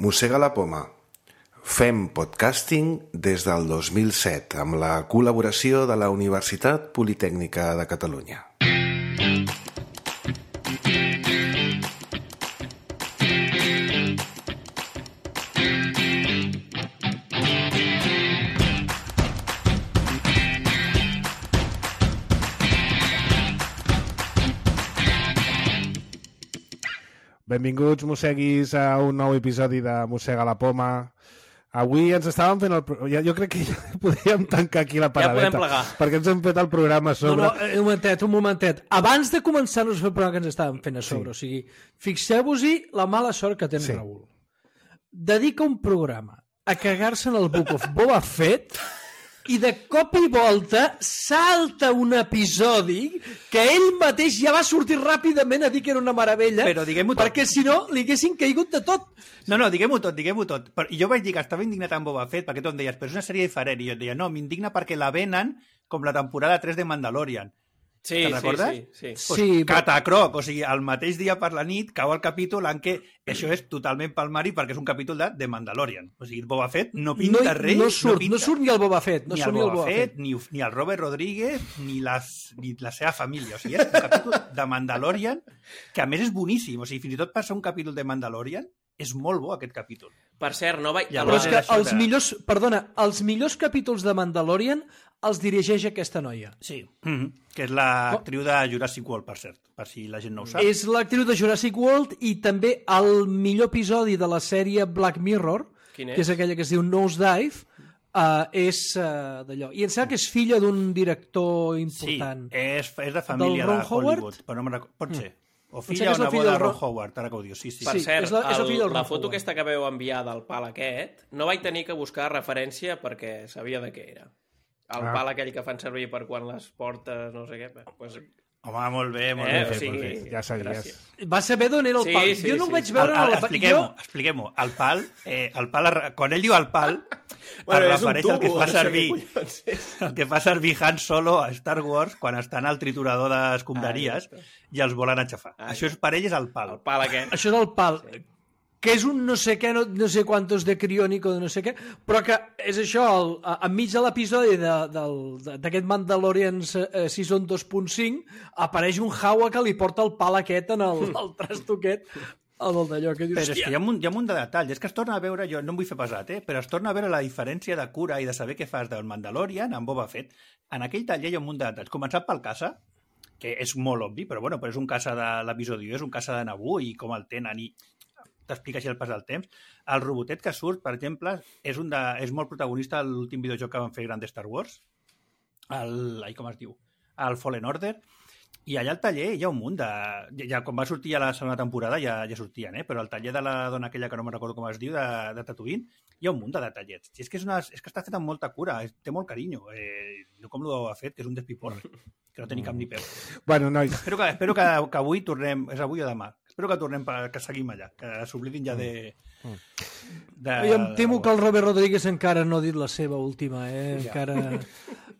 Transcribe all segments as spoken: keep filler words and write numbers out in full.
Mossega la poma. Fem podcasting des del dos mil set amb la col·laboració de la Universitat Politècnica de Catalunya. Benvinguts, mosseguis, a un nou episodi de Mossega la poma. Avui ens estàvem fent el... Ja, jo crec que ja podríem tancar aquí la paradeta. Ja podem plegar. Perquè ens hem fet el programa a sobre. No, no, un momentet, un momentet. Abans de començar-nos a fer el programa que ens estàvem fent a sobre, sí. O sigui, fixeu-vos-hi la mala sort que té en sí. Raül. Dedica un programa a cagar-se en el Book of Boba Fett i de cop i volta salta un episodi que ell mateix ja va sortir ràpidament a dir que era una meravella, però diguem-ho tot, perquè si no li haguessin caigut de tot. No, no, diguem-ho tot, diguem-ho tot. I jo vaig dir que estava indignat amb Boba Fett, perquè tu em deies, però és una sèrie diferent, i jo et deia, no, m'indigna perquè la venen com la temporada tres de Mandalorian. Sí, te'n recordes? sí, sí. Pues sí però... Catacroc, o sigui, el mateix dia per la nit cau el capítol en què això és totalment palmari perquè és un capítol de The Mandalorian. O sigui, Boba Fett no pinta no, res. No surt, no, pinta, no surt ni el Boba Fett. No ni surt el ni el Boba, Boba Fett, Fett. Ni, ni el Robert Rodríguez, ni, les, ni la seva família. O sigui, és un capítol de Mandalorian que a més és boníssim. O sigui, fins i tot per ser un capítol de Mandalorian és molt bo aquest capítol. Per cert, no vaig... Però és que els millors, perdona, els millors capítols de Mandalorian els dirigeix aquesta noia. Sí, mm-hmm. que és l'actriu de Jurassic World, per cert, per si la gent no ho sap. És l'actriu de Jurassic World i també el millor episodi de la sèrie Black Mirror, és? que és aquella que es diu Nosedive, uh, és uh, d'allò. I em sembla que és filla d'un director important. Sí, és, és de família de Hollywood, Howard? però no me'n recordo. Pot ser. O Em filla o sembla que és la neboda filla de del Ron Ron- Howard, ara que ho dius. Sí, sí. Per Sí, cert, és la- és la el, filla del la Ron foto Howard. aquesta que veu enviar del pal aquest, no vaig tenir que buscar referència perquè sabia de què era. El Ah. pal aquell que fan servir per quan les portes, no sé què. Pues, Home, molt bé, molt Eh, bé. o sigui, molt bé. Ja sabies. gràcies. Va saber d'on era el Sí, pal. sí, jo no sí, ho vaig sí. veure... El, a el, la... expliquem-ho, jo... expliquem-ho. El pal, eh, el pal, es- quan ell diu el pal, Bueno, es és un refereix al que tubo, fa no sé servir què collons és. el que fa servir Han Solo a Star Wars quan estan al triturador d'escombraries Ah, i els volen aixafar. Ah, Això és, per ell és el pal. El pal aquest. Això és el pal. Sí. Que és un no sé què, no, no sé quantos de criònico, de no sé què, però que és això, el, a, enmig de l'episodi de, del- de, d'aquest Mandalorian eh, Season dos punt cinc, apareix un Jawa que li porta el pal aquest en el, el trasto aquest, el d'allò que dius, Però és que hi ha, un, hi ha un munt de detalls. És que es torna a veure, jo no em vull fer pesat, eh? però es torna a veure la diferència de cura i de saber què fas del Mandalorian amb Boba Fett. En aquell taller hi ha un munt de detalls. Començant pel caça, que és molt obvi, però bueno, però és un caça de l'episodi u, és un caça de Naboo i com el tenen i t'explica així el pas del temps. El robotet que surt, per exemple, és, un de, és molt protagonista de l'últim videojoc que van fer gran de Star Wars, el, ai, com es diu? El Fallen Order, i allà al taller hi ha un munt de... Ja, ja, quan va sortir ja la segona temporada ja, ja sortien, eh? però al taller de la dona aquella que no me'n recordo com es diu, de, de Tatooine, hi ha un munt de detallets. I és que, és una, és que està fet amb molta cura, és, té molt carinyo. Eh, no com l'ho ha fet, que és un despiporre, que no té ni cap ni peu. Bueno, nois, Espero que, espero que, que avui tornem... És avui o demà? Espero que tornem, per, que seguim allà, que s'oblidin ja de... de jo em temo que el Robert Rodríguez encara no ha dit la seva última, eh? Ja. Encara,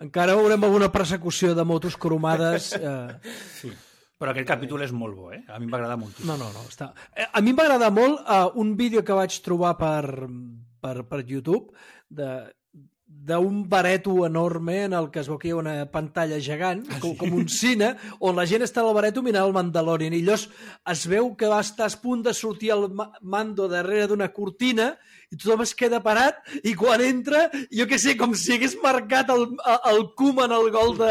encara veurem alguna persecució de motos cromades. Eh... Sí. Però aquest capítol és molt bo, eh? A mi em va agradar moltíssim. No, no, no. Està... Eh, A mi em va agradar molt uh, un vídeo que vaig trobar per, per, per YouTube de d'un bareto enorme en el que es veu que hi ha una pantalla gegant, Ah, com, sí? com un cine, on la gent està al bareto mirant el Mandalorian, i llavors es veu que va estar a punt de sortir el ma- Mando darrere d'una cortina i tothom es queda parat i quan entra, jo què sé, com si hagués marcat el, el Koeman el gol de,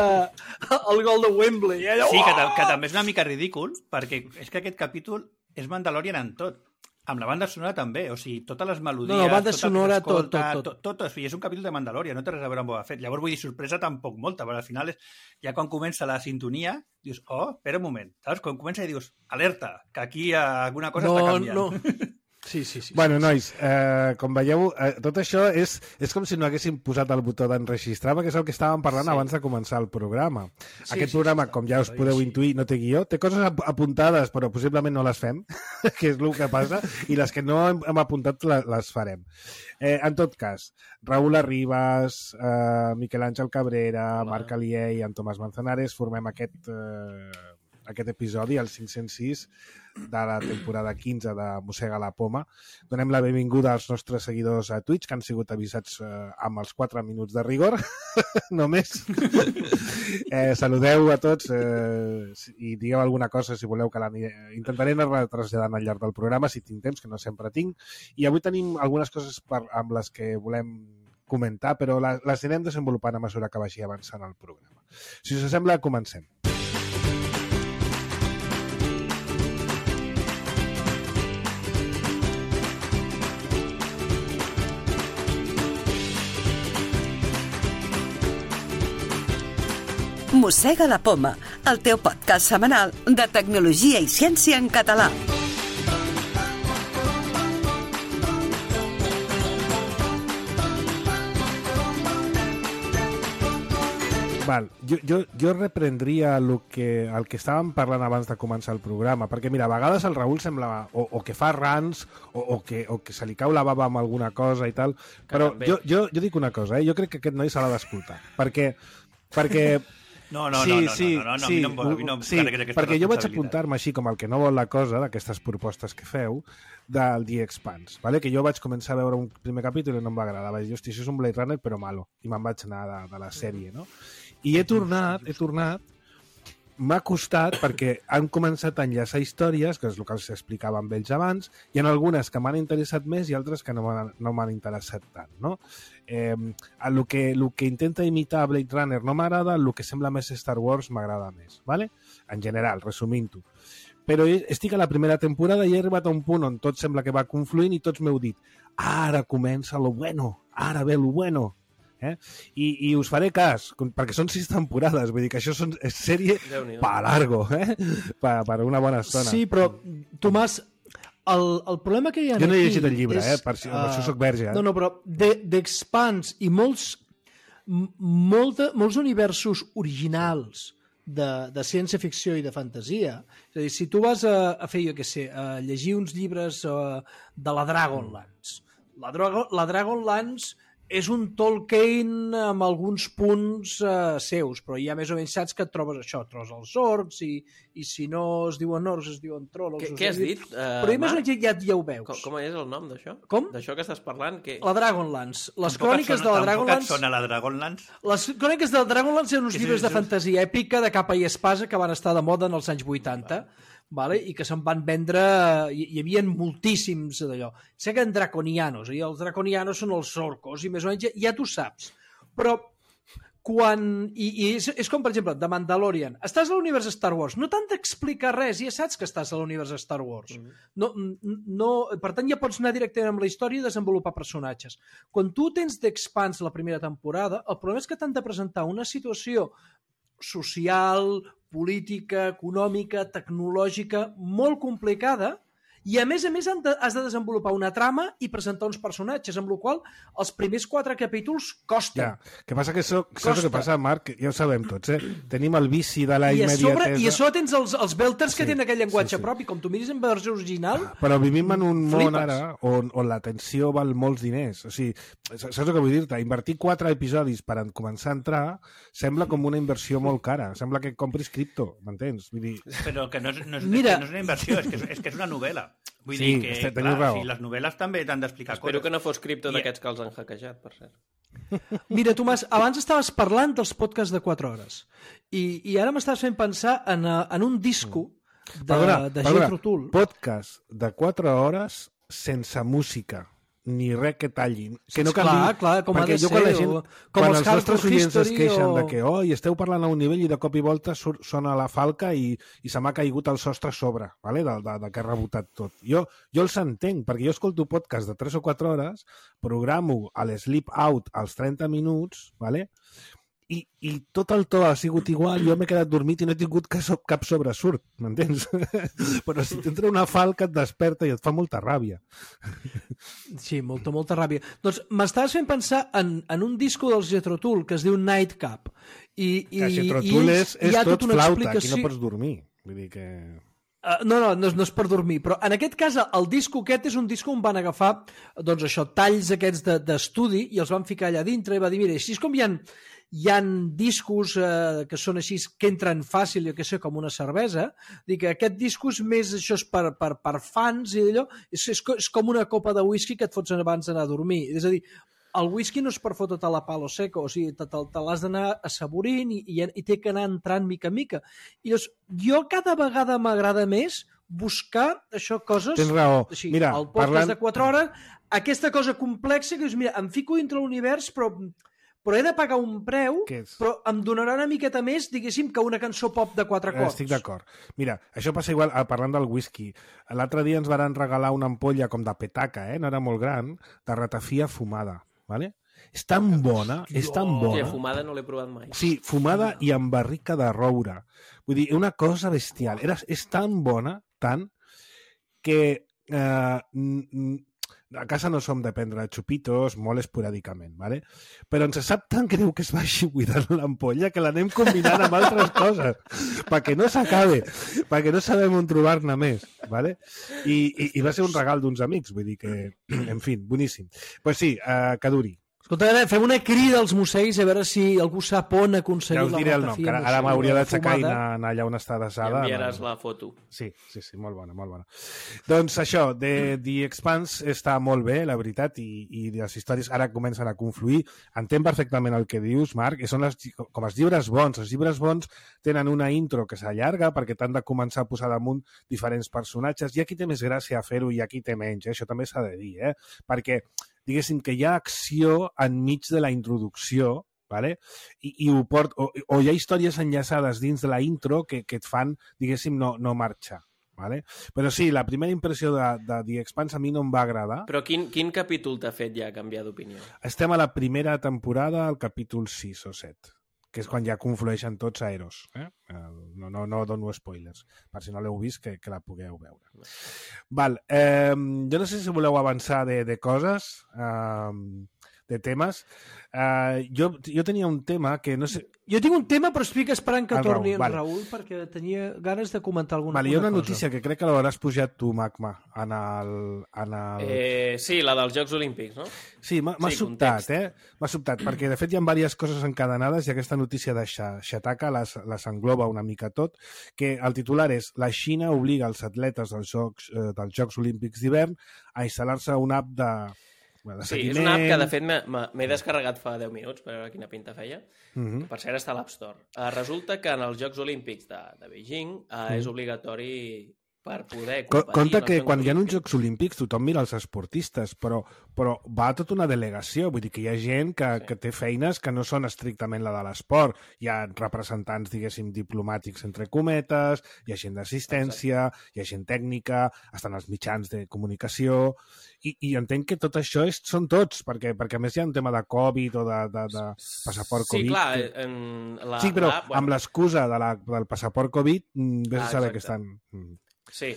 el gol de Wembley. I allò, Sí, que, ta- que també és una mica ridícul, perquè és que aquest capítol és Mandalorian en tot. Amb la banda sonora també, o sigui, totes les melodies... No, no, banda tot el que sonora, tot, s'escolta, tot, tot. tot, tot. O sigui, és un capítol de Mandalorian, no té res a veure amb Boba Fett. Llavors, vull dir, sorpresa tampoc molta, però al final, és, ja quan comença la sintonia, dius, oh, espera un moment, saps? Quan comença i dius, alerta, que aquí eh, alguna cosa no, està canviant. no. Sí, sí, sí. bueno, nois, eh, com veieu, eh, tot això és, és com si no haguéssim posat el botó d'enregistrar, perquè és el que estàvem parlant Sí. abans de començar el programa. Sí, Aquest sí, programa, sí, com ja us sí, podeu sí. intuir, no té guió, té coses ap- apuntades, però possiblement no les fem, que és el que passa, i les que no hem, hem apuntat la- les farem. Eh, en tot cas, Raül Arribas, eh, Miquel Àngel Cabrera, Hola. Marc Alier i en Tomàs Manzanares formem aquest... Eh, aquest episodi, el cinc-cents sis de la temporada quinze de Mossega la Poma. Donem la benvinguda als nostres seguidors a Twitch, que han sigut avisats eh, amb els quatre minuts de rigor, només. eh, saludeu a tots eh, i digueu alguna cosa si voleu que la intentaré anar traslladant al llarg del programa, si tinc temps, que no sempre tinc. I avui tenim algunes coses per, amb les que volem comentar, però la, les anirem desenvolupant a mesura que vagi avançant el programa. Si us sembla, comencem. Mossega la Poma, el teu podcast setmanal de tecnologia i ciència en català. Val, jo, jo, jo reprendria el que, el que estàvem parlant abans de començar el programa, perquè mira, a vegades el Raül sembla o, o que fa rants o, o, que, o que se li cau la bava amb alguna cosa i tal, però jo, jo, jo dic una cosa, eh? Jo crec que aquest noi se l'ha d'escoltar, perquè... perquè No, no, sí, no, no, sí, no, no, no, sí, a mi no em, a mi no em sí, carregues aquesta perquè jo vaig responsabilitat. apuntar-me així com el que no vol la cosa d'aquestes propostes que feu del The Expanse, ¿vale? Que jo vaig començar a veure un primer capítol i no em va agradar. Vaig dir, hosti, això és un Blade Runner però malo, i me'n vaig anar de, de la sèrie, no? I he tornat, he tornat, m'ha costat perquè han començat a enllaçar històries, que és el que els explicava amb ells abans, i en algunes que m'han interessat més i altres que no m'han no m'han interessat tant, no? Eh, el, que, el que intenta imitar Blade Runner no m'agrada, el que sembla més Star Wars m'agrada més, ¿vale? En general, resumint-ho. Però estic a la primera temporada i he arribat a un punt on tot sembla que va confluint i tots m'heu dit, ara comença lo bueno, ara ve lo bueno. Eh? I, i us faré cas, perquè són sis temporades, vull dir que això són, és sèrie pa largo, eh? per, per una bona estona. Sí, però, Tomàs, el, el problema que hi ha jo no he aquí llegit el llibre, és, eh? per, si, uh, per això soc verge. Eh? No, no, però d'Expanse i molts, molta, molts universos originals de, de ciència-ficció i de fantasia, és a dir, si tu vas a, a fer, jo què sé, a llegir uns llibres uh, de la Dragonlance, la, Drago, la Dragonlance és un Tolkien amb alguns punts uh, seus, però ja més o menys saps que et trobes això, et trobes els orcs i, i si no es diuen orcs es diuen trolls. Què, què has dit, uh, Però ja més o menys ja, ja ho veus. Com, com és el nom d'això? Com? D'això que estàs parlant? Que... La Dragonlance. Les Tampoc cròniques sona, de la Dragonlance... sona la Dragonlance? Les cròniques de la Dragonlance eren uns Sí, sí, llibres sí. de fantasia èpica de capa i espasa que van estar de moda en els anys vuitanta. Vale? I que se'n van vendre, hi, hi havia moltíssims d'allò. Sé que en draconianos, i els draconianos són els orcos, i més o menys ja, ja tu saps. Però quan... I, i és, és com, per exemple, de Mandalorian. Estàs a l'univers Star Wars, no t'han d'explicar res, ja saps que estàs a l'univers Star Wars. No, no, per tant, ja pots anar directament amb la història i desenvolupar personatges. Quan tu tens d'Expanse la primera temporada, el problema és que t'han de presentar una situació social, política, econòmica, tecnològica, molt complicada, i a més a més de, has de desenvolupar una trama i presentar uns personatges, amb la qual cosa els primers quatre capítols costen. Ja, que passa que això, saps el que passa, Marc? Ja ho sabem tots, eh? Tenim el vici de la I a sobre, immediatesa. I a sobre tens els, els belters que Sí, tenen aquell llenguatge sí, sí. propi, com tu miris en versió original... Però vivim en un món Flipes. ara on, on l'atenció val molts diners. O sigui, saps el que vull dir-te? Invertir quatre episodis per començar a entrar sembla com una inversió molt cara. Sembla que compris cripto, m'entens? Vull dir... Però que no és, no és, Mira. que no és una inversió, és que és, és que és una novel·la. Vull Sí, dir que, este- teniu clar, raó. si les novel·les també t'han d'explicar Espero coses. que no fos cripto I- d'aquests que els han hackejat, per cert. Mira, Tomàs, abans estaves parlant dels podcasts de quatre hores i, i ara m'estàs fent pensar en, eh, en un disco de, Perdona, de perdona, Jethro Tull. podcast de quatre hores sense música ni res que tallin. Que no Clar, canvi, clar, com ha perquè de jo quan ser, la gent, o- com quan els els nostres Hardcore oients es History queixen o- de que oh, i esteu parlant a un nivell i de cop i volta surt, sona la falca i, i se m'ha caigut el sostre a sobre, vale? de, de, de que ha rebotat tot. Jo, jo els entenc, perquè jo escolto podcast de tres o quatre hores, programo a l'Sleep Out als trenta minuts, vale? I, i tot el to ha sigut igual, jo m'he quedat dormit i no he tingut cap, so- cap sobresurt, m'entens? Però si t'entra una falca et desperta i et fa molta ràbia. Sí, molta, molta ràbia. Doncs m'estaves fent pensar en, en un disco dels Jethro Tull que es diu Nightcap. I, i, Que si i Trotul ells- és, és hi ha tot tota una flauta, aquí explicació- no pots dormir. Vull dir que... Uh, no, no, no, no és per dormir, però en aquest cas el disco aquest és un disco on van agafar doncs això, talls aquests d'estudi de, i els van ficar allà dintre i va dir, mira, així és com hi ha, hi ha discos eh, que són així, que entren fàcil, jo que sé, com una cervesa, dic que aquest disco és més, això és per, per, per fans i allò, és, és, és com una copa de whisky que et fots abans d'anar a dormir, és a dir, el whisky no és per fotre't a la palo seco, o sigui, te, te, te l'has d'anar assaborint i, i, i té que anar entrant mica en mica. I llavors, jo cada vegada m'agrada més buscar això, coses... Tens raó. Així, mira, el podcast parlant... de quatre hores, aquesta cosa complexa que dius, mira, em fico dintre l'univers, però, però he de pagar un preu, però em donarà una miqueta més, diguéssim, que una cançó pop de quatre acords. Estic d'acord. Mira, això passa igual, parlant del whisky. L'altre dia ens van regalar una ampolla com de petaca, eh? No era molt gran, de ratafia fumada. Vale? És tan bona, és tan bona. Hòstia, fumada no l'he provat mai. Sí, fumada i amb barrica de roure. Vull dir, una cosa bestial. Era, és tan bona, tant, que eh, a casa no som de prendre xupitos molt esporàdicament, ¿vale? Però ens sap tan greu que es vagi buidant l'ampolla que l'anem combinant amb altres coses perquè no s'acabe, perquè no sabem on trobar-ne més, ¿vale? I, i, i va ser un regal d'uns amics, vull dir que, en fi, boníssim. Pues sí, uh, que duri. Escolta, fem una crida als museis a veure si algú sap on aconseguir ja us diré la el nom, que ara, ara m'hauria d'aixecar i anar, anar allà on està desada. I enviaràs la foto. Sí, sí, sí, molt bona, molt bona. Doncs això, The, The Expanse està molt bé, la veritat, i, i les històries ara comencen a confluir. Entenc perfectament el que dius, Marc, i són les, com els llibres bons. Els llibres bons tenen una intro que s'allarga perquè t'han de començar a posar damunt diferents personatges, i aquí té més gràcia a fer-ho i aquí té menys, eh? Això també s'ha de dir, eh? Perquè diguéssim que hi ha acció enmig de la introducció, vale? I, i ho port, o, o hi ha històries enllaçades dins de la intro que, que et fan, diguéssim, no, no marxar. Vale? Però sí, la primera impressió de, de The Expanse a mi no em va agradar. Però quin, quin capítol t'ha fet ja canviar d'opinió? Estem a la primera temporada, al capítol sis o set, que és quan ja conflueixen tots a Eros. Eh? No, no, no dono spoilers, per si no l'heu vist, que, que la pugueu veure. Val, eh, jo no sé si voleu avançar de, de coses, eh, de temes. Eh, jo, jo tenia un tema que no sé... Jo tinc un tema, però estic esperant que el torni Raül, en vale. Raül, perquè tenia ganes de comentar alguna, vale, hi ha una cosa. notícia que crec que l'hauràs pujat tu, Magma, en el... En el... Eh, sí, la dels Jocs Olímpics, no? Sí, m'ha sí, sobtat, eh? M'ha sobtat, perquè de fet hi ha diverses coses encadenades i aquesta notícia de Shataka les, les engloba una mica tot, que el titular és la Xina obliga els atletes dels Jocs, eh, dels Jocs Olímpics d'hivern a instal·lar-se una app de... Bueno, de sí, seguiment. és una app que de fet m'he descarregat fa deu minuts per veure quina pinta feia. Uh-huh. Per cert, està a l'App Store. Uh, resulta que en els Jocs Olímpics de, de Beijing uh, uh-huh. és obligatori per poder competir. Compte que quan hi ha uns Jocs Olímpics tothom mira els esportistes, però, però va tota una delegació, vull dir que hi ha gent que, sí. que té feines que no són estrictament la de l'esport. Hi ha representants, diguéssim, diplomàtics entre cometes, hi ha gent d'assistència, hi ha gent tècnica, estan els mitjans de comunicació, i, i entenc que tot això és, són tots, perquè, perquè a més hi ha un tema de Covid o de, de, de passaport Covid. Sí, clar. Que... En la, sí, però la, bueno... amb l'excusa de la, del passaport Covid, vés ah, a saber exacte. que estan... Sí.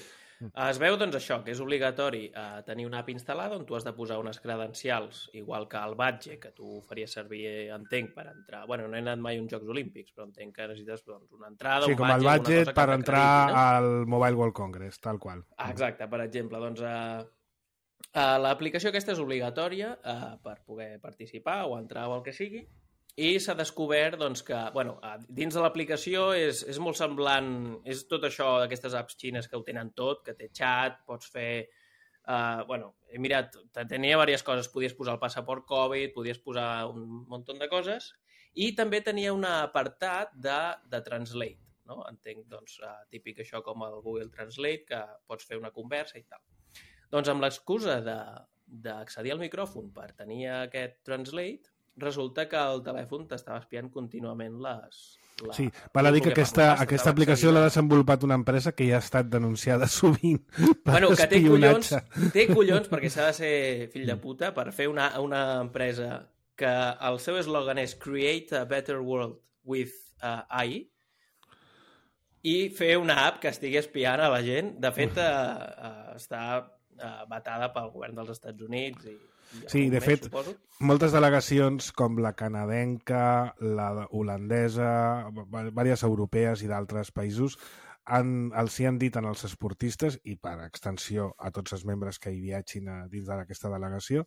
Es veu, doncs, això, que és obligatori eh, tenir una app instal·lada on tu has de posar unes credencials, igual que el badge, que tu faries servir, entenc, per entrar... Bueno, no he anat mai a uns Jocs Olímpics, però entenc que necessites doncs, una entrada, sí, un com badge... el badge per entrar no? al Mobile World Congress, tal qual. Ah, exacte, per exemple. Doncs eh, eh, l'aplicació aquesta és obligatòria eh, per poder participar o entrar o el que sigui, i s'ha descobert doncs, que bueno, dins de l'aplicació és, és molt semblant, és tot això d'aquestes apps xines que ho tenen tot, que té xat, pots fer... Uh, bueno, he mirat, tenia diverses coses, podies posar el passaport Covid, podies posar un munt de coses, i també tenia un apartat de, de Translate, no? Entenc, doncs, uh, típic això com el Google Translate, que pots fer una conversa i tal. Doncs amb l'excusa d'accedir al micròfon per tenir aquest Translate, resulta que el telèfon t'estava espiant contínuament les... La... Sí, val a dir que aquesta, aquesta aplicació l'ha desenvolupat una empresa que ja ha estat denunciada sovint per bueno, que té collons, espionatge. Té collons, perquè s'ha de ser fill de puta, per fer una, una empresa que el seu eslògan és Create a Better World with uh, A I i fer una app que estigui espiant a la gent. De fet, uh, uh, està uh, vetada pel govern dels Estats Units i sí, de més, fet, suposo. Moltes delegacions com la canadenca, la holandesa, diverses europees i d'altres països han, els hi han dit als esportistes, i per extensió a tots els membres que hi viatgin a, dins d'aquesta delegació,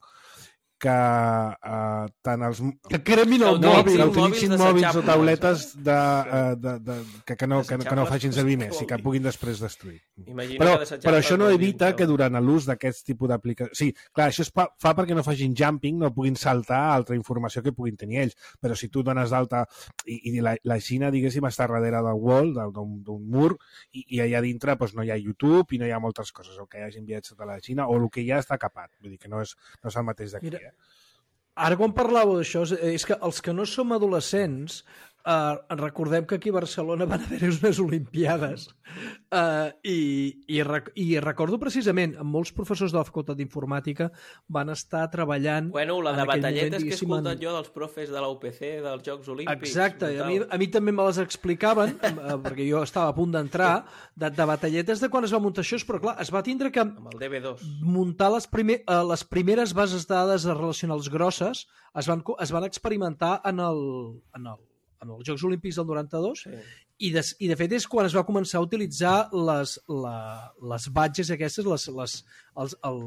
que uh, tant els... Que cremin el Que mòbil. que mòbils utilitzin mòbils o desechables. tauletes de, uh, de, de, que, que, no, que, no- que no Desechables, facin servir que més i vol que dir. puguin després destruir. Imagina Però, que desechables però això no vol dir evita això. que durant l'ús d'aquest tipus d'aplicació... Sí, clar, això es fa, fa perquè no facin jumping, no puguin saltar altra informació que puguin tenir ells. Però si tu dones d'alta... I, i la, la Xina, diguéssim, està darrere del wall, del- d'un d'un mur, i, i allà dintre doncs, no hi ha YouTube i no hi ha moltes coses. El que hi hagin viatjat a la Xina o el que hi ha està capat. Vull dir que no és, no és el mateix d'aquí. Mira, Eh? Ara, quan parlàveu d'això, és- és que els que no som adolescents, eh, recordem que aquí a Barcelona van haver unes Olimpiades eh, i, i, rec i recordo precisament, amb molts professors de la Facultat d'Informàtica van estar treballant... Bueno, la en de aquell moment, batalletes que he diguéssim, escoltat en- jo dels profes de la U P C, dels Jocs Olímpics. Exacte, a mi, brutal. a mi també me les explicaven, eh, perquè jo estava a punt d'entrar, de, de batalletes de quan es va muntar això, però clar, es va tindre que Amb el D B dos. muntar les, primer, eh, les primeres bases de dades relacionals grosses, es van, co- es van experimentar en, el, en, el, en els Jocs Olímpics del noranta-dos, Sí. i de, i de fet és quan es va començar a utilitzar les, la, les badges aquestes, les, les, els, el,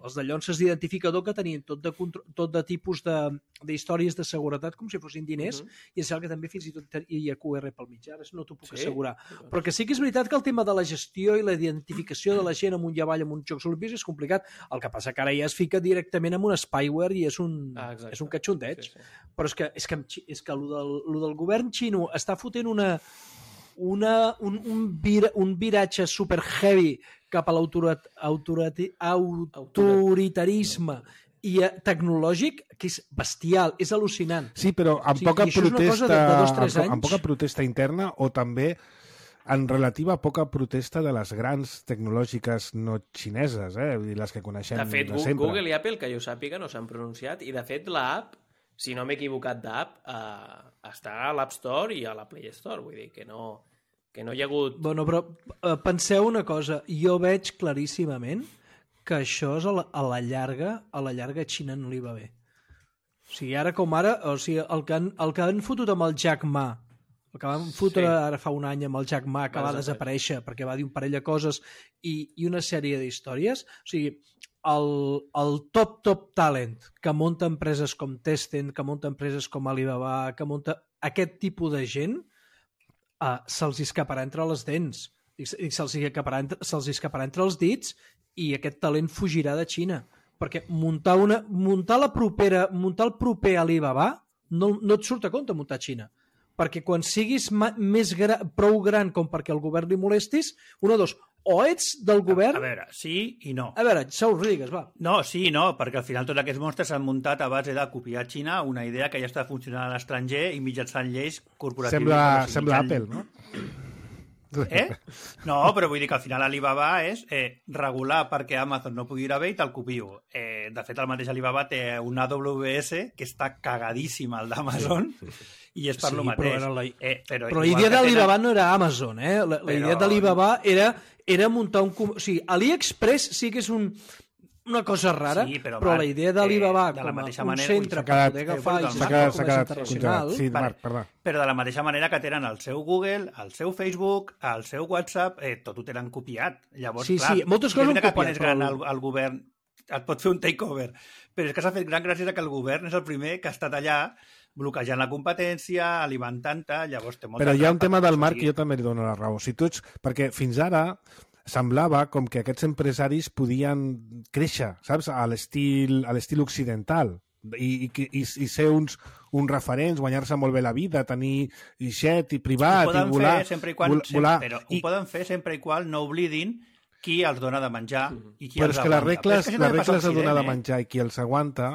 els de llonces d'identificador que tenien tot de, contro- tot de tipus de- d'històries de, de seguretat com si fossin diners, Mhm. i em sembla que també fins i tot hi ha Q R pel mig, ara no t'ho puc Sí? assegurar. Però que sí que és veritat que el tema de la gestió i la identificació de la gent amunt i avall en uns Jocs Olímpics és complicat. El que passa que ara ja es fica directament amb un spyware i és un, Ah, exacte. és un catxondeig. Sí, sí. Però és que, és que, amb Xi- és que el del, lo del govern xino està fotent una, una, un, un, vir, un viratge super heavy cap a l'autoritarisme i eh, tecnològic que és bestial, és al·lucinant. Sí, però amb Sí, poca i això és una cosa protesta, de- de dos, tres amb, anys. amb poca protesta interna o també en relativa poca protesta de les grans tecnològiques no xineses, eh? Vull dir, les que coneixem De fet, de Google, sempre. Google i Apple, que jo sàpiga, no s'han pronunciat, i de fet l'app, si no m'he equivocat d'app, eh, està a l'App Store i a la Play Store, vull dir que no, que no hi ha hagut... Bueno, però eh, penseu una cosa, jo veig claríssimament que això és a la, a la llarga, a la llarga a Xina no li va bé. O sigui, ara com ara, o sigui, el que han, el que han fotut amb el Jack Ma, el que van fotre Sí. ara fa un any amb el Jack Ma, que Va va desaparèixer perquè va dir un parell de coses i, i una sèrie d'històries, o sigui, el, el top, top talent que munta empreses com Tencent, que munta empreses com Alibaba, que munta aquest tipus de gent, uh, se'ls escaparà entre les dents i, i se'ls escaparà, entre- se'ls escaparà entre els dits i aquest talent fugirà de Xina perquè muntar, una, muntar, la propera, muntar el proper Alibaba no, no et surt a compte muntar a Xina perquè quan siguis ma, més gra, prou gran com perquè el govern li molestis, una o dos, o ets del govern... A veure, sí i no. A veure, Saúl Rodríguez, va. No, sí i no, perquè al final tots aquests monstres s'han muntat a base de copiar a Xina una idea que ja està funcionant a l'estranger i mitjançant lleis corporatives. Sembla, o sigui, sembla mitjan- Apple, no? Eh? No, però vull dir que al final Alibaba és eh, regular perquè Amazon no pugui ir a bé i te'l copio. Eh, de fet, el mateix Alibaba té un A W S que està cagadíssim al d'Amazon sí, sí, sí. i és per Sí, lo però mateix. era la- Eh, però Però la igual idea que d'Alibaba tenen- no era Amazon, eh? La, la Però- idea d'Alibaba era, era muntar un... com- O sigui, AliExpress sí que és un, una cosa rara, Sí, però, però Marc, la idea d'Alibaba eh, de la com a mateixa un manera- centre Ui, per s'ha poder quedat- agafar i eh, S'ha gestionar quedat, com s'ha a quedat internacional. congelat. Sí, Vale. Marc, perdó. Però de la mateixa manera que tenen el seu Google, el seu Facebook, el seu WhatsApp, eh, tot ho tenen copiat. Llavors, Sí, clar, sí, moltes és coses veritat han que quan copiat, és gran però- el, el govern et pot fer un takeover, però és que s'ha fet gran gràcies a que el govern és el primer que ha estat allà bloquejant la competència, alimentant-te, llavors té molta Però hi ha un trampa, tema del o Marc sigui, i jo també li dono la raó. Si tots, perquè fins ara semblava com que aquests empresaris podien créixer, saps? A l'estil a l'estil occidental i, i, i, i ser uns, uns referents, guanyar-se molt bé la vida, tenir jet i ho privat poden i volar. fer sempre i quan, vol- volar. però I, ho poden fer sempre i quan no oblidin qui els dona de menjar i qui però els és que les aguanta. Però regles, és que això les també passa a regles de donar de Occident, eh? menjar i qui els aguanta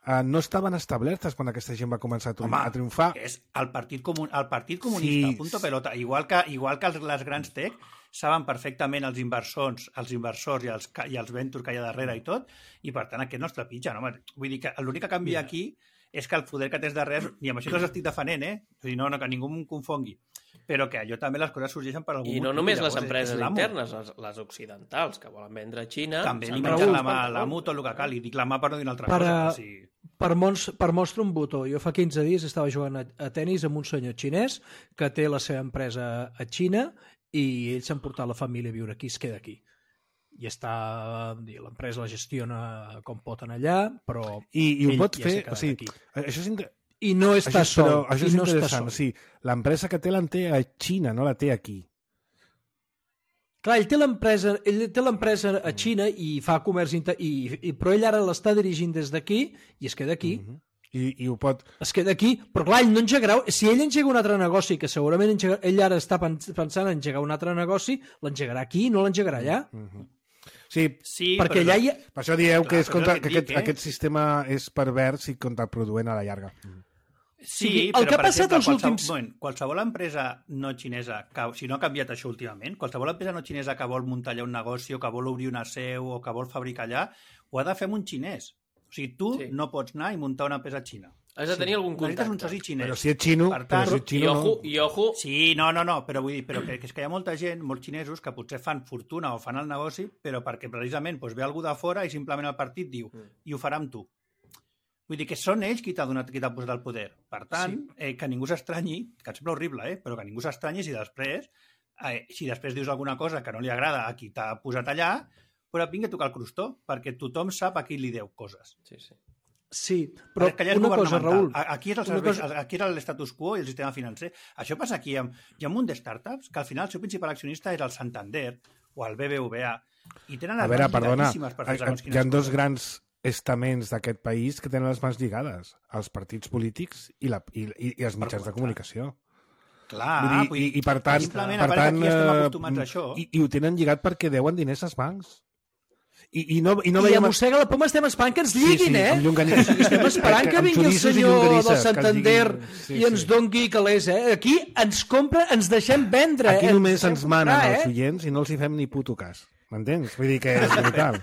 eh, no estaven establertes quan aquesta gent va començar a, tri Home, a triomfar. és el Partit, Comun el partit Comunista, Sí. punto pelota. Igual que, igual que els, les grans tech saben perfectament els inversors, els inversors i els, ca- i els ventures que hi ha darrere i tot, i per tant aquest no es trepitja. No? Vull dir que l'únic que canvia Mira. aquí és que el poder que tens darrere, i amb això no els estic defenent, eh? O sigui, no, no, que ningú em confongui, però que allò també les coses sorgeixen per algun I no motiu, només les llavors és- empreses és l'amo. internes, les, les occidentals, que volen vendre a Xina... També s'han li de mengen buscar la mà, per la on. mu, tot el que cal, i dic la mà per no dir una altra Per, cosa. a- O sigui, Per, mons, per mostra un botó. Jo fa quinze dies estava jugant a, a tennis amb un senyor xinès que té la seva empresa a Xina i ells s'han portat la família a viure aquí, es queda aquí. I està, l'empresa la gestiona com pot en allà, però I, i ho ell pots ja fer, s'ha quedat o sigui, aquí. això és, inter... I no està això, però, sol. això I és no interessant, està o sigui, l'empresa que té l'en té a Xina, no la té aquí. Clar, ell té l'empresa ell té l'empresa a Xina i fa comerç inter... I, i, però ell ara l'està dirigint des d'aquí i es queda aquí. Mm-hmm. I, i ho pot... Es queda aquí, però clar, ell no engegarà... Si ell engega un altre negoci, que segurament engega... ell ara està pensant en engegar un altre negoci, l'engegarà aquí, no l'engegarà allà. Mm-hmm. Sí, Sí, perquè allà hi ha... per això dieu Clar, que, és però contra, és el que que et aquest, dic, eh? aquest sistema és pervers i contraproduent a la llarga. Sí, el però, que ha per passat exemple, els qualsevol, últims- moment, qualsevol empresa no xinesa, que, si no ha canviat això últimament, qualsevol empresa no xinesa que vol muntar allà un negoci o que vol obrir una seu o que vol fabricar allà, ho ha de fer amb un xinès. O sigui, tu Sí. no pots anar i muntar una empresa xina. Has de tenir algun Necessites contacte. un soci xinès. Però si és xino, Per però tant, si és I xino ojo, no... i ojo, Sí, no, no, no, però vull dir però que, que és que hi ha molta gent, molts xinesos, que potser fan fortuna o fan el negoci, però perquè precisament doncs, ve algú de fora i simplement el partit diu Mm. i ho farà amb tu. Vull dir que són ells qui t'ha donat, qui t'ha posat al poder. Per tant, sí. eh, que ningú s'estranyi, que et sembla horrible, eh? Però que ningú s'estranyi si després, eh, si després dius alguna cosa que no li agrada a qui t'ha posat allà, però et vingui a tocar el crostó, perquè tothom sap a qui li deu coses. sí, sí. Sí, però Perquè allà és una cosa, governamental. Raül... A- Aquí és el una servei, cosa- aquí és l'estatus quo i el sistema financer. Això passa aquí. Amb, hi ha un munt de startups que al final el seu principal accionista és el Santander o el B B V A i tenen A les veure, mans perdona, llarguíssimes per fer segons hi quines ha dos coses. grans estaments d'aquest país que tenen les mans lligades, els partits polítics i, la, i, i, i els mitjans de comunicació. Clar, Vull dir, vull i, dir, I per tant, simplement per apareix tant aquí estem eh, acostumats a això. i, i ho tenen lligat perquè deuen diners als bancs. I, i no, i no I veiem... a mossega la poma estem esperant que ens lliguin, sí, eh? amb llonganisses. Estem esperant que Amb vingui el xoriços i senyor llonganisses, del que ens Santander diguin. Sí, i ens sí. dongui calés, eh? Aquí ens compra, ens deixem vendre. Aquí eh? només deixem ens manen comprar, els eh? oients i no els hi fem ni puto cas. M'entens? Vull dir que és brutal.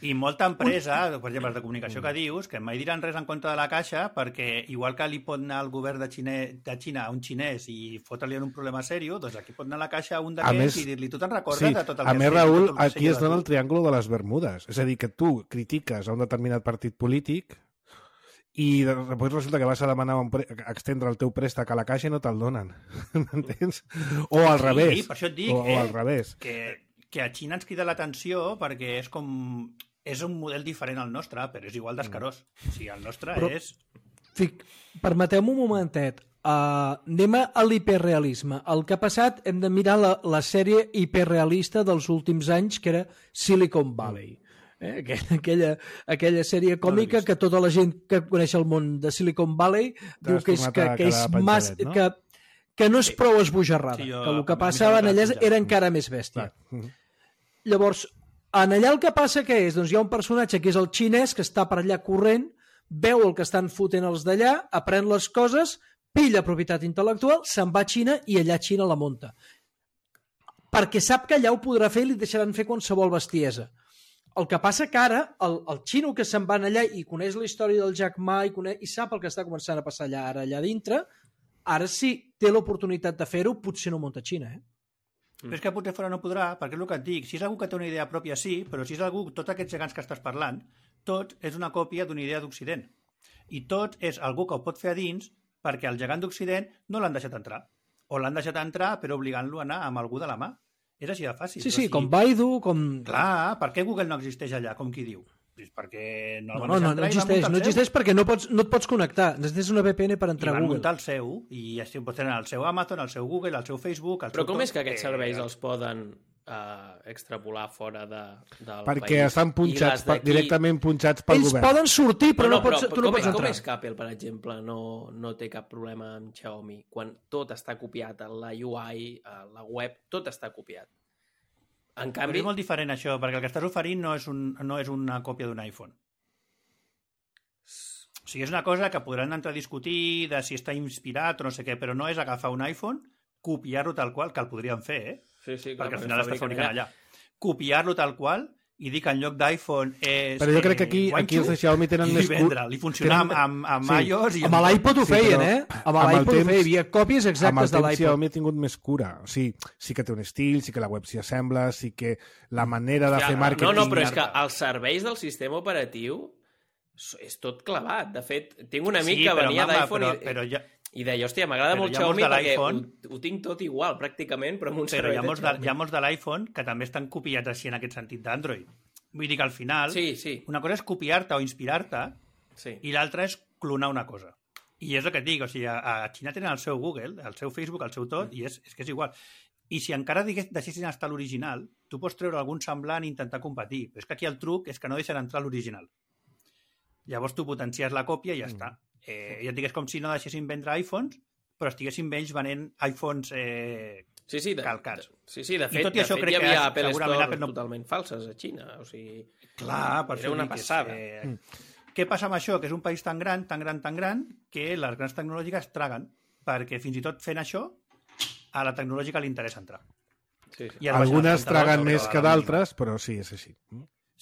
I molta empresa, per exemple, de comunicació que dius, que mai diran res en contra de la Caixa, perquè igual que li pot anar el govern de, Xine, de Xina a un xinès i fotre-li en un problema sèrio, doncs aquí pot anar a la Caixa a un A d'aquests més- i dir-li, tu te'n recordes Sí, de tot el a que més, has fet, Raül, tot el que has aquí es fet dona de el tu?" triàngul de les Bermudes. És a dir, que tu critiques a un determinat partit polític i després resulta que vas a demanar un pre... a extendre el teu préstec a la Caixa i no te'l donen. M'entens? O al Sí, revés. per això et dic, o, eh, o al revés. que, que a Xina ens crida l'atenció perquè és com... És un model diferent al nostre, però és igual d'escarós. O sigui, el nostre Però- és... Fic, permeteu-me un momentet. Uh, anem a l'hiperrealisme. El que ha passat, hem de mirar la, la sèrie hiperrealista dels últims anys, que era Silicon Valley. Eh? Aquella, aquella, aquella sèrie còmica que tota la gent que coneix el món de Silicon Valley diu que és, tornat que, a que és quedar mas, penjadet, no? que, que no és prou esbojarrada, Sí, jo- que el que a mi passava m'ha en allà agradat era penjar. encara més bèstia. Clar. Llavors, en allà el que passa que és? Doncs hi ha un personatge que és el xinès que està per allà corrent, veu el que estan fotent els d'allà, aprèn les coses, pilla propietat intel·lectual, se'n va a Xina i allà a Xina la munta. Perquè sap que allà ho podrà fer i li deixaran fer qualsevol bestiesa. El que passa que ara, el, el xino que se'n va allà i coneix la història del Jack Ma i, coneix, i sap el que està començant a passar allà, ara allà dintre, ara sí té l'oportunitat de fer-ho, potser no munta a Xina, eh? Però és que potser fora no podrà, perquè és el que et dic, si és algú que té una idea pròpia, sí, però si és algú, tots aquests gegants que estàs parlant, tot és una còpia d'una idea d'Occident. I tot és algú que ho pot fer a dins perquè el gegant d'Occident no l'han deixat entrar. O l'han deixat entrar però obligant-lo a anar amb algú de la mà. És així de fàcil. Sí, O sí, sigui, com Baidu, com... Clar, per què Google no existeix allà, com qui diu? Pues perquè no, No, no, no, no existeix, no existeix perquè no, pots, no et pots connectar. Necessites una V P N per entrar I a van Google. muntar el seu, i així pots tenir el seu Amazon, el seu Google, el seu Facebook... El Però seu com tot, és que aquests eh, serveis els poden uh, extrapolar fora de, del Perquè país? estan I punxats, les per, d'aquí- directament punxats pel Ells govern. poden sortir, però no, no, pots, tu no com, pots com entrar. és que Apple, per exemple, no, no té cap problema amb Xiaomi? Quan tot està copiat, la U I, la web, tot està copiat. En Però canvi, és molt diferent això, perquè el que estàs oferint no és, un, no és una còpia d'un iPhone. O sigui, és una cosa que podran entrar a discutir de si està inspirat o no sé què, però no és agafar un iPhone, copiar-lo tal qual, que el podrien fer, eh? sí, sí, clar, perquè al final està fabriquen fabricant allà. Copiar-lo tal qual i dir que en lloc d'iPhone és... Però jo crec que aquí, eh, aquí els de Xiaomi tenen i més... cul- vendre-li. I funcionar amb, tenen- amb, amb sí. iOS i Amb l'iPod ho Sí, feien, però eh? Amb amb el l'iPod ho temps- feien, hi havia còpies amb exactes el de temps l'iPod. Xiaomi ha tingut més cura. O sigui, sí que té un estil, sí que la web s'hi assembla, sí que la manera de Ja, fer màrqueting... no, no, però és que els serveis del sistema operatiu és tot clavat. De fet, tinc un amic Sí, que però, venia mama, d'iPhone però, i... però ja, I deia, hòstia, m'agrada Però molt hi ha molts Xiaomi de perquè ho, l'iPhone- ho tinc tot igual, pràcticament, però amb un Però servei hi ha de molts de, Xiaomi. hi ha molts de l'iPhone que també estan copiats així en aquest sentit d'Android. Vull dir que al final, Sí, sí, una cosa és copiar-te o inspirar-te sí. i l'altra és clonar una cosa. I és el que et dic, o sigui, a, a Xina tenen el seu Google, el seu Facebook, el seu tot, i és, és que és igual. I si encara digués, deixessin estar l'original, tu pots treure algun semblant i intentar competir. Però és que aquí el truc és que no deixen entrar l'original. Llavors tu potencies la còpia i ja està. Eh, ja et dic, és com si no deixessin vendre iPhones, però estiguessin ells venent iPhones eh, Sí, sí, de, calcats. De, sí, sí, de I fet, tot i de això fet crec hi havia que Apple segurament Store Apple no- totalment falses a Xina, o sigui... Clar, per Era això una dic que és, passada. Eh, Mm. Què passa amb això? Que és un país tan gran, tan gran, tan gran, que les grans tecnològiques traguen, perquè fins i tot fent això, a la tecnològica li interessa entrar. Sí, sí. I ara Algunes baixen els traguen comptadors més sobre que la d'altres, però sí, és així.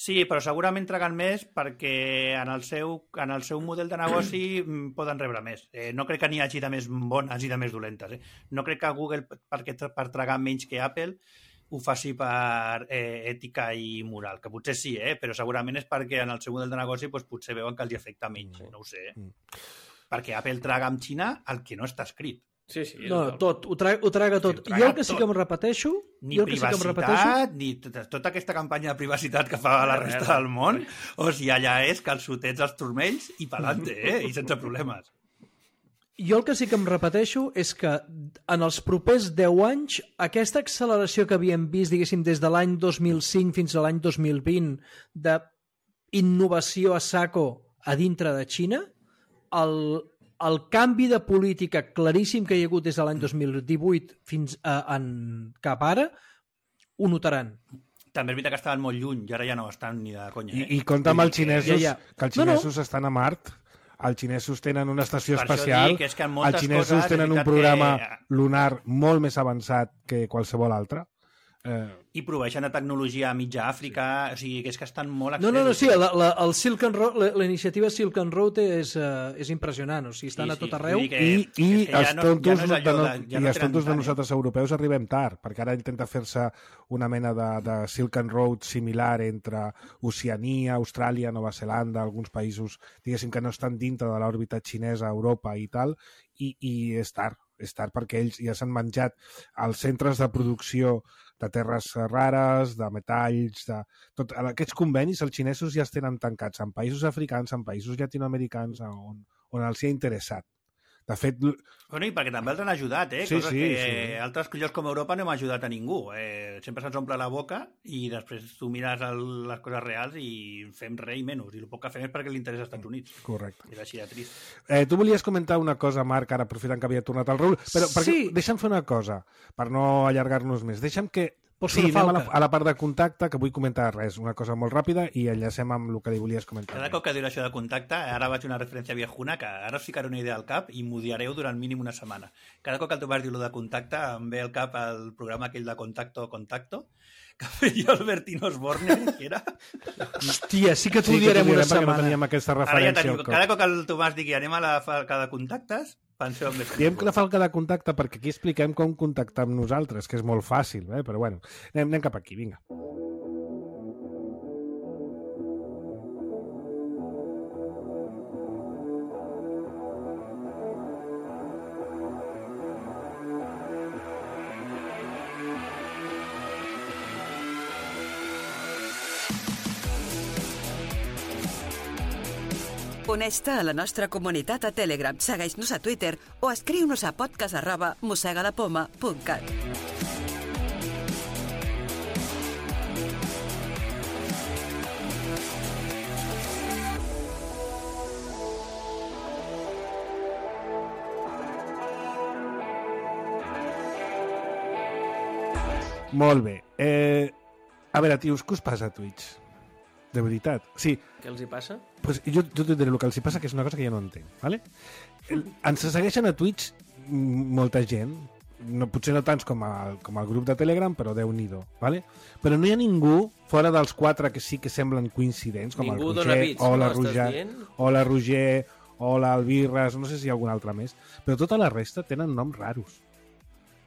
Sí, però segurament traguen més perquè en el seu, en el seu model de negoci mm, poden rebre més. Eh, no crec que n'hi hagi de més bones i de més dolentes. Eh? No crec que Google, perquè tra- per tragar menys que Apple, ho faci per eh, ètica i moral, que potser sí, eh? Però segurament és perquè en el seu model de negoci doncs, potser veuen que els hi afecta menys, no ho sé. Eh? Mm. Perquè Apple traga amb Xina el que no està escrit. Sí, sí. No, total. tot, ho, tra ho traga tot. Sí, ho traga Jo el que sí tot. que em repeteixo... Ni jo el que sí que em repeteixo... privacitat, ni tota, tota aquesta campanya de privacitat que fa la resta del món, o sigui, allà és calçotets als turmells i pelante, eh? I sense problemes. Jo el que sí que em repeteixo és que en els propers deu anys aquesta acceleració que havíem vist, diguéssim, des de l'any dos mil cinc fins a l'any dos mil vint d'innovació a saco a dintre de Xina, el, el canvi de política claríssim que hi ha hagut des de l'any dos mil divuit fins a, en, cap ara, ho notaran. També és veritat que estaven molt lluny i ara ja no estan ni de conya. I, Eh? i compta amb els Vull dir que- xinesos, Ja, ja. que els No, no. xinesos estan a Mart, els xinesos tenen una estació Per això espacial, dic, és que en moltes els xinesos coses és tenen un veritat programa que- lunar molt més avançat que qualsevol altre. Eh, I proveeixen de tecnologia a mitja Àfrica, o sigui, que és que estan molt No, no, no, sí, accessos. la, la, el Silk and Road, la, la iniciativa Silk and Road és, uh, és impressionant, o sigui, estan Sí, a sí, tot vull arreu. dir que- I, i és que ja els no- tontos, ja no és de, allò no, de- ja i no els tenen tontos de tant, eh? nosaltres europeus arribem tard, perquè ara intenta fer-se una mena de, de Silk and Road similar entre Oceania, Austràlia, Nova Zelanda, alguns països, diguéssim, que no estan dintre de l'òrbita xinesa, Europa i tal, i, i és tard, és tard perquè ells ja s'han menjat els centres de producció de terres rares, de metalls, de... Tot, aquests convenis els xinesos ja els tenen tancats en països africans, en països llatinoamericans, on, on els hi ha interessat. De fet... Bueno, i perquè també els han ajudat, eh? Sí, Coses sí, que sí. altres llocs com Europa no hem ajudat a ningú. Eh, sempre se'ns omple la boca i després tu mires el, les coses reals i fem res i menys. I el poc que fem és perquè li interessa als Estats Units. Correcte. És així de trist. Eh, tu volies comentar una cosa, Marc, ara aprofitant que havia tornat al Raül, però perquè, Sí. deixa'm fer una cosa, per no allargar-nos més. Deixa'm que... Pots sí, fer una anem a la, falca. a la part de contacte, que vull comentar res, una cosa molt ràpida, i enllacem amb el que li volies comentar. Cada cop que diu això de contacte, ara vaig una referència viejuna, que ara us ficaré una idea al cap i m'ho diareu durant mínim una setmana. Cada cop que tu vas dir lo de contacte, em ve al cap el programa aquell de Contacto, Contacto, que feia Albertino Osborne, que era... Hòstia, sí que t'ho Sí, que direm t'ho una direm perquè no setmana. teníem aquesta Ara ja referència teniu, al cop. cada cop que el Tomàs digui anem a la falca de contactes, penseu en més. Diem que la falca de contacte perquè aquí expliquem com contactar amb nosaltres, que és molt fàcil, eh? Però bueno, anem, anem cap aquí, vinga. Uneix-te a la nostra comunitat a Telegram, segueix-nos a Twitter o escriu-nos a podcast arroba mossegalapoma punt cat. Molt bé. Eh, a veure, tios, què us passa a Twitch? De veritat. Sí, Què els hi passa? pues jo, jo t'ho diré el que els hi passa, que és una cosa que jo no entenc. ¿vale? El, ens segueixen a Twitch m- molta gent, no, potser no tants com el, com el grup de Telegram, però Déu-n'hi-do. ¿vale? Però no hi ha ningú, fora dels quatre que sí que semblen coincidents, com Ningú el dona Roger, bits, o, no? la Estàs Roger, dient? o la Roger, o l'Albirres, no sé si hi ha algun altre més, però tota la resta tenen noms raros.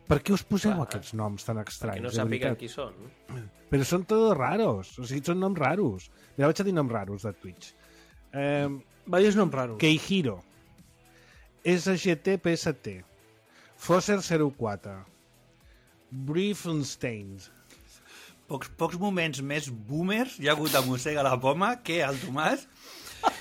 Per què us poseu Clar. aquests noms tan Que estranys? no de sàpiguen veritat? qui són. Però són tots raros, o sigui, són noms raros. Mira, vaig a dir noms raros de Twitch. Eh, Vayos noms raros. Keihiro. S G T P S T, Fosser zero quatre, Briefenstein. Pocs, pocs moments més boomers hi ha hagut a Mossega la Poma que el Tomàs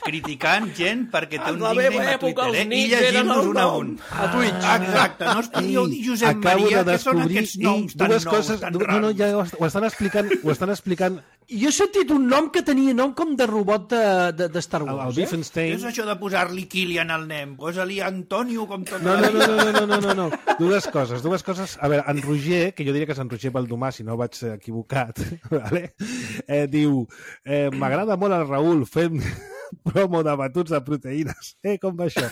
criticant gent perquè té un nickname a Twitter, eh? I llegint-nos un a un. A Twitch. Exacte, no es podíeu dir Josep Acabo Maria, de que són descobrir aquests noms tan dues nous, coses, tan no, raros. no, ja ho, est- ho estan explicant, ho estan explicant Jo he sentit un nom que tenia nom com de robot de, de, de Star el, el Wars, eh? Beefenstein. És això de posar-li Kilian al nen, posa-li Antonio com tot. No, no, no, no, no, no, no, no. Dues coses, dues coses. A veure, en Roger, que jo diria que és en Roger Baldomà, si no vaig equivocat, vale? eh, diu, eh, m'agrada molt el Raül fent promo de batuts de proteïnes. Eh, com va això?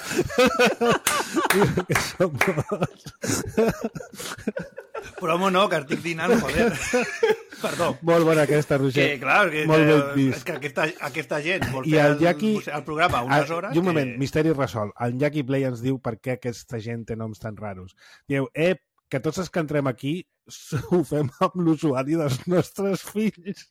Diu que som bons. Promo no, que estic dinant, joder. Perdó. Molt bona aquesta, Roger. Que, clar, que, Molt ben és vist. que aquesta, aquesta gent vol I fer el el, Jackie... el programa unes Ah, hores... I un moment, que... misteri resolt. El Jackie Play ens diu per què aquesta gent té noms tan raros. Diu, eh, que tots els que entrem aquí ho fem amb l'usuari dels nostres fills.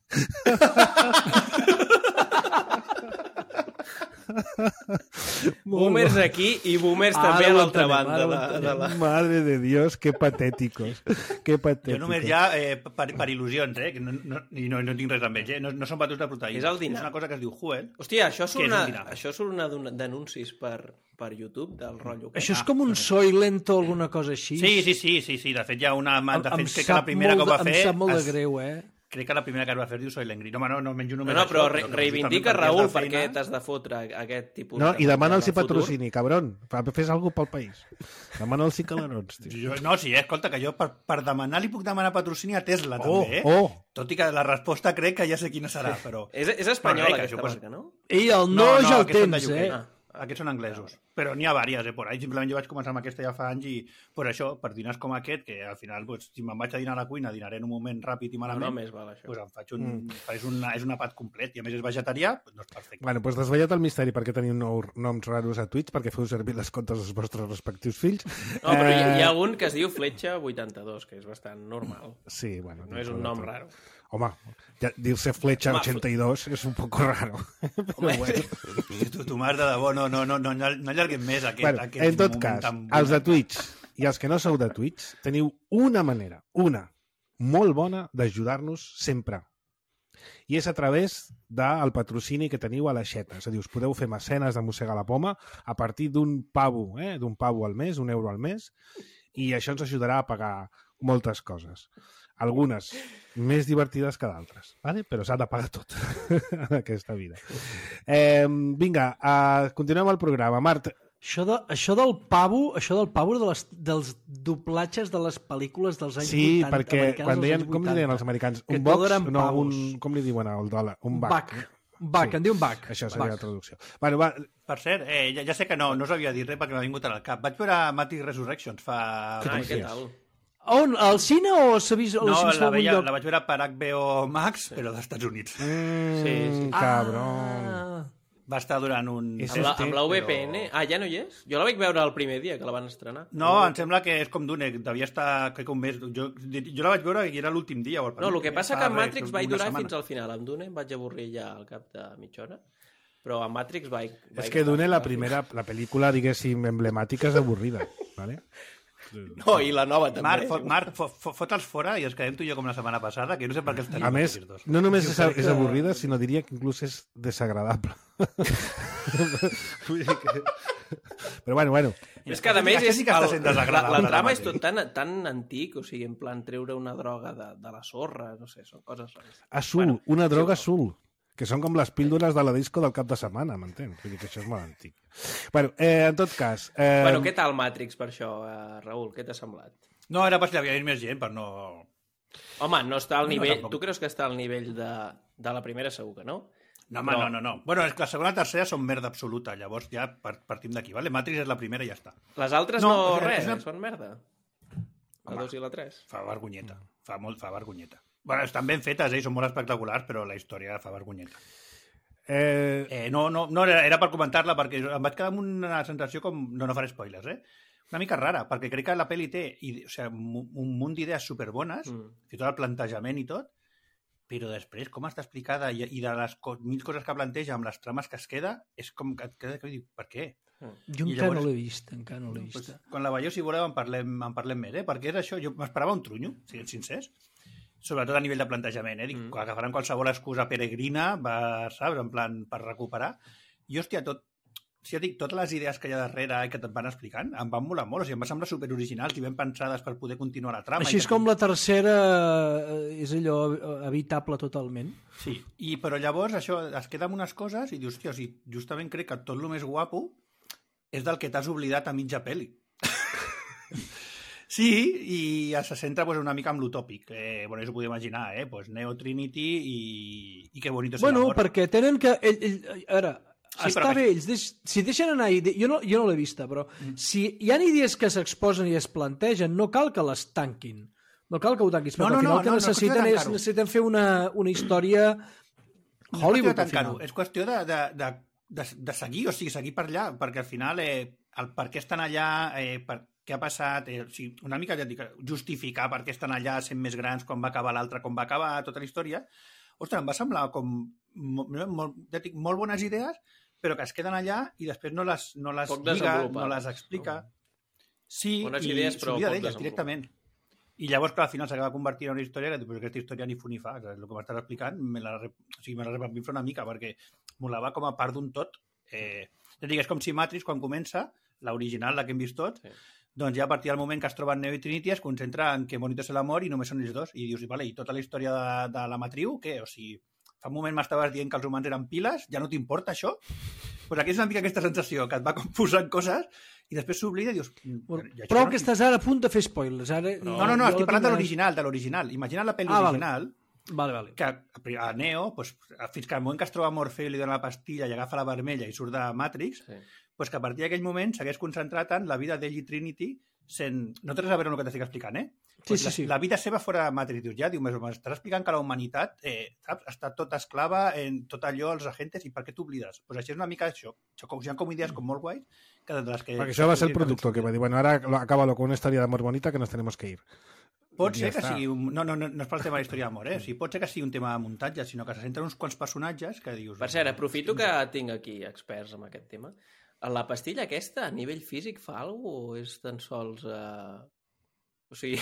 Boomers aquí i boomers Ara també a ho l'altra entenem, banda. ara ho De, de la... Madre de Dios, qué patéticos. Qué patéticos. Jo només ja, eh, per, per il·lusions, eh, que no, no, i no, no tinc res amb ells, eh, no, no són batuts de proteïna. És el dinar. És una cosa que es diu Huel. Hòstia, això surt Què és una, un dinar? això surt una d'un- d'anuncis per, per YouTube del rotllo. aquest. Això és com un Soylent o alguna cosa així. Sí, sí, sí, sí, sí, de fet hi ha una... Em, De em fet, crec que la sap primera que molt ho va de- fer... Em sap molt de es- greu, eh? Crec que la primera que es va fer diu Soy l'Engri. No, home, no, no menjo No, només no, però això, re que reivindica, justament per Raül, fer per què feina- t'has de fotre aquest tipus No, I demana'ls de futur. patrocini, cabron. Fes alguna cosa pel país. Demana'ls calarons, tio. Jo, no, sí, eh, escolta, que jo per, per demanar li puc demanar patrocini a Tesla, Oh, també, eh? oh. Tot i que la resposta crec que ja sé quina serà, però... És, és espanyola, Però res, que aquesta això, pues- marca, no? I el no, no ja el aquests són de tens, U K. eh? Ah, aquests són anglesos. Però n'hi ha vàries, eh, por ahí. Simplement jo vaig començar amb aquesta ja fa anys i per això, per dinars com aquest, que al final, pues, si me'n vaig a dinar a la cuina, dinaré en un moment ràpid i No, malament, no, més val això. pues em faig un, Mm. és, un, és un àpat complet. I a més és vegetarià, pues, doncs perfecte. Bueno, doncs desvetllat el misteri perquè teniu nous noms raros a Twitch, perquè feu servir les comptes dels vostres respectius fills. No, però hi, Eh, hi ha un que es diu Fletxa vuitanta-dos, que és bastant normal. Sí, bueno. No és un nom raro. Home, ja, dir-se Fletxa Home, ochenta y dos és un poco raro. Però Home, bueno. Si tu, tu m'has de debò, no, no, no, no, no allarguem més aquest, Bueno, aquest en tot moment cas, tan els de bonic. Twitch i els que no sou de Twitch, teniu una manera, una, molt bona d'ajudar-nos sempre. I és a través del patrocini que teniu a l'aixeta. És a dir, us podeu fer mecenes de Mossegar la Poma a partir d'un pavo, eh? d'un pavo al mes, un euro al mes, i això ens ajudarà a pagar moltes coses. Algunes més divertides que d'altres, ¿vale? Però s'ha de pagar tot en aquesta vida. Eh, vinga, uh, continuem el programa. Mart, Això, de, això del pavo, això del pavo de les, dels doblatges de les pel·lícules dels anys sí, vuitanta. perquè americanes quan dels deien, anys com li vuitanta, deien els americans? que Un tot box? eren No, pavos. un, com li diuen al dòlar? Un bac. Bac. Bac, Sí. en diuen bac. Això seria Bac. la traducció. Bueno, va, Per cert, eh, ja, ja sé que no, no us havia dit res perquè m'ha vingut al cap. Vaig veure Matrix Resurrections fa... Ah, què tal? On? Al cine o s'ha vist, o No, s'ha vist la, algun veia, lloc? la vaig veure per H B O Max, però dels Estats Units. mm, Sí, sí. cabron. Ah, Va estar durant un... És Amb la, Este, amb la V P N? però- Ah, ja no hi és? Jo la vaig veure el primer dia que la van estrenar. No, em sembla que és com d'una, devia estar, crec que un mes. Jo, jo la vaig veure i era l'últim dia. O el No, el que passa fa que en res, Matrix una vaig durar setmana. fins al final. Amb Dune em vaig avorrir ja al cap de mitja hora. Però a Matrix vaig... vaig És que Dune, la primera, la pel·lícula, diguéssim, emblemàtica és avorrida. ¿vale? No, i la nova també. Marc, fot, Marc fot, fot, fot'ls fora i ens quedem tu i jo com la setmana passada, que no sé per què els tenim. A més, aquests dos. no només és, crec és que- avorrida, sinó diria que inclús és desagradable. Vull dir que... Però bueno, bueno. És que, a més, Aquest és, sí que està el, sent la, desagradable, la trama ara és tot tan, tan antic, o sigui, en plan treure una droga de, de la sorra, no sé, són coses rares. Azul, Bueno, una droga sí, azul, que són com les píldores de la disco del cap de setmana, m'entens? Vull dir que això és molt antic. Bueno, eh, en tot cas... Eh, Bueno, què tal Matrix per això, eh, Raül? Què t'ha semblat? No, era per si havia més gent, per no... Home, no està al No, nivell... tampoc. Tu creus que està al nivell de, de la primera, segur que no? No, home, Però- no, no, no. Bueno, és que la segona i la tercera són merda absoluta, llavors ja par- partim d'aquí, vale? Matrix és la primera i ja està. Les altres No, no, és res, una- són merda. La Home. dos i la tres. Fa vergonyeta, fa molt, fa vergonyeta. Bueno, estan ben fetes, eh? i són molt espectaculars, però la història fa vergonyeta. eh, Eh, no, no, no era, era per comentar-la, perquè em vaig quedar amb una sensació com... No, no faré spoilers, eh? Una mica rara, perquè crec que la pel·li té i, o sigui, un, un munt d'idees superbones, Mm. fins i tot el plantejament i tot, però després, com està explicada i, i de les co mil coses que planteja amb les trames que es queda, és com que et queda que dic, per què? Jo encara llavors, no l'he vist, encara no l'he vist. Pues, quan la veieu, si voleu, en parlem, en parlem més, eh? Perquè és això, jo m'esperava un trunyo, siguem sincers, sobretot a nivell de plantejament, eh? Dic, mm. agafaran qualsevol excusa peregrina, va, saps, en plan, per recuperar. I, hòstia, tot, si ja dic, totes les idees que hi ha darrere i que et van explicant em van molar molt, o sigui, em va semblar superoriginals i ben pensades per poder continuar la trama. Així és com la tercera és allò evitable totalment. Sí, i, però llavors això es queda amb unes coses i dius, hòstia, o sigui, justament crec que tot el més guapo és del que t'has oblidat a mitja pel·li. Sí, i se centra pues, una mica en l'utòpic. Eh, bueno, això ho podeu imaginar, eh? Pues Neo, Trinity i, i que bonito és bueno, l'amor. Bueno, perquè tenen que... Ell, ell, a veure, sí, està bé, ells deix... si deixen anar idees... Jo no, jo no l'he vista, però mm. si hi ha idees que s'exposen i es plantegen, no cal que les tanquin. No cal que ho tanquis, perquè no, no, al final no, el que no, necessiten no, és necessiten fer una, una història Hollywood. No és qüestió de és qüestió de, de, de, de, de seguir, o sigui, seguir per allà, perquè al final eh, el per què estan allà, eh, per què ha passat, eh, o sigui, una mica ja dic, justificar per què estan allà sent més grans, com va acabar l'altre, com va acabar tota la història. Ostres, em va semblar com molt, molt, ja dic, molt bones idees, però que es queden allà i després no les, no les lliga, no les explica. Sí, bones i s'oblida d'elles directament. I llavors, clar, al final s'acaba convertint en una història que pues, aquesta història ni fu ni fa. El que m'estàs explicant me la, o sigui, me la repapinfla una mica perquè molava com a part d'un tot. Eh, ja dic, és com si Matrix, quan comença, l'original, la que hem vist tots, sí. Doncs ja a partir del moment que es troben Neo i Trinity es concentra en que bonito és l'amor i només són ells dos. I dius, vale, i tota la història de, de la matriu, què? O sigui, fa un moment m'estaves dient que els humans eren piles, ja no t'importa això? Doncs pues aquí és una mica aquesta sensació, que et va posant coses i després s'oblida i dius... Ja però que no... estàs ara a punt de fer spoilers. Ara... No, no, no, estic parlant de l'original, de l'original. Imagina la pel·li ah, original, vale. Vale, vale. Que a Neo, pues, fins que al moment que es troba Morfeu i li dona la pastilla i agafa la vermella i surt de Matrix, sí. Pues que a partir d'aquell moment s'hagués concentrat en la vida d'ell i Trinity sent... No tens a veure amb el que t'estic explicant, eh? Pues sí, sí, sí. La, la vida seva fora de Matrix, dius, ja, diu, m'estàs explicant que la humanitat eh, saps, està tota esclava en tot allò, els agentes, i per què t'oblides? Pues això és una mica això. Això com, hi ha com idees com molt guais que de les que... Perquè això va ser el productor que va dir, bueno, ara acábalo con una història d'amor bonita que nos tenemos que ir. Pot ser que sigui... Un... No, no, no, no és pel tema de la història d'amor, eh? O sigui, pot ser que sigui un tema de muntatge, sinó que se centren uns quants personatges que dius... Per cert, aprofito que tinc aquí experts en aquest tema. La pastilla aquesta, a nivell físic, fa alguna cosa o és tan sols... Uh... O sigui...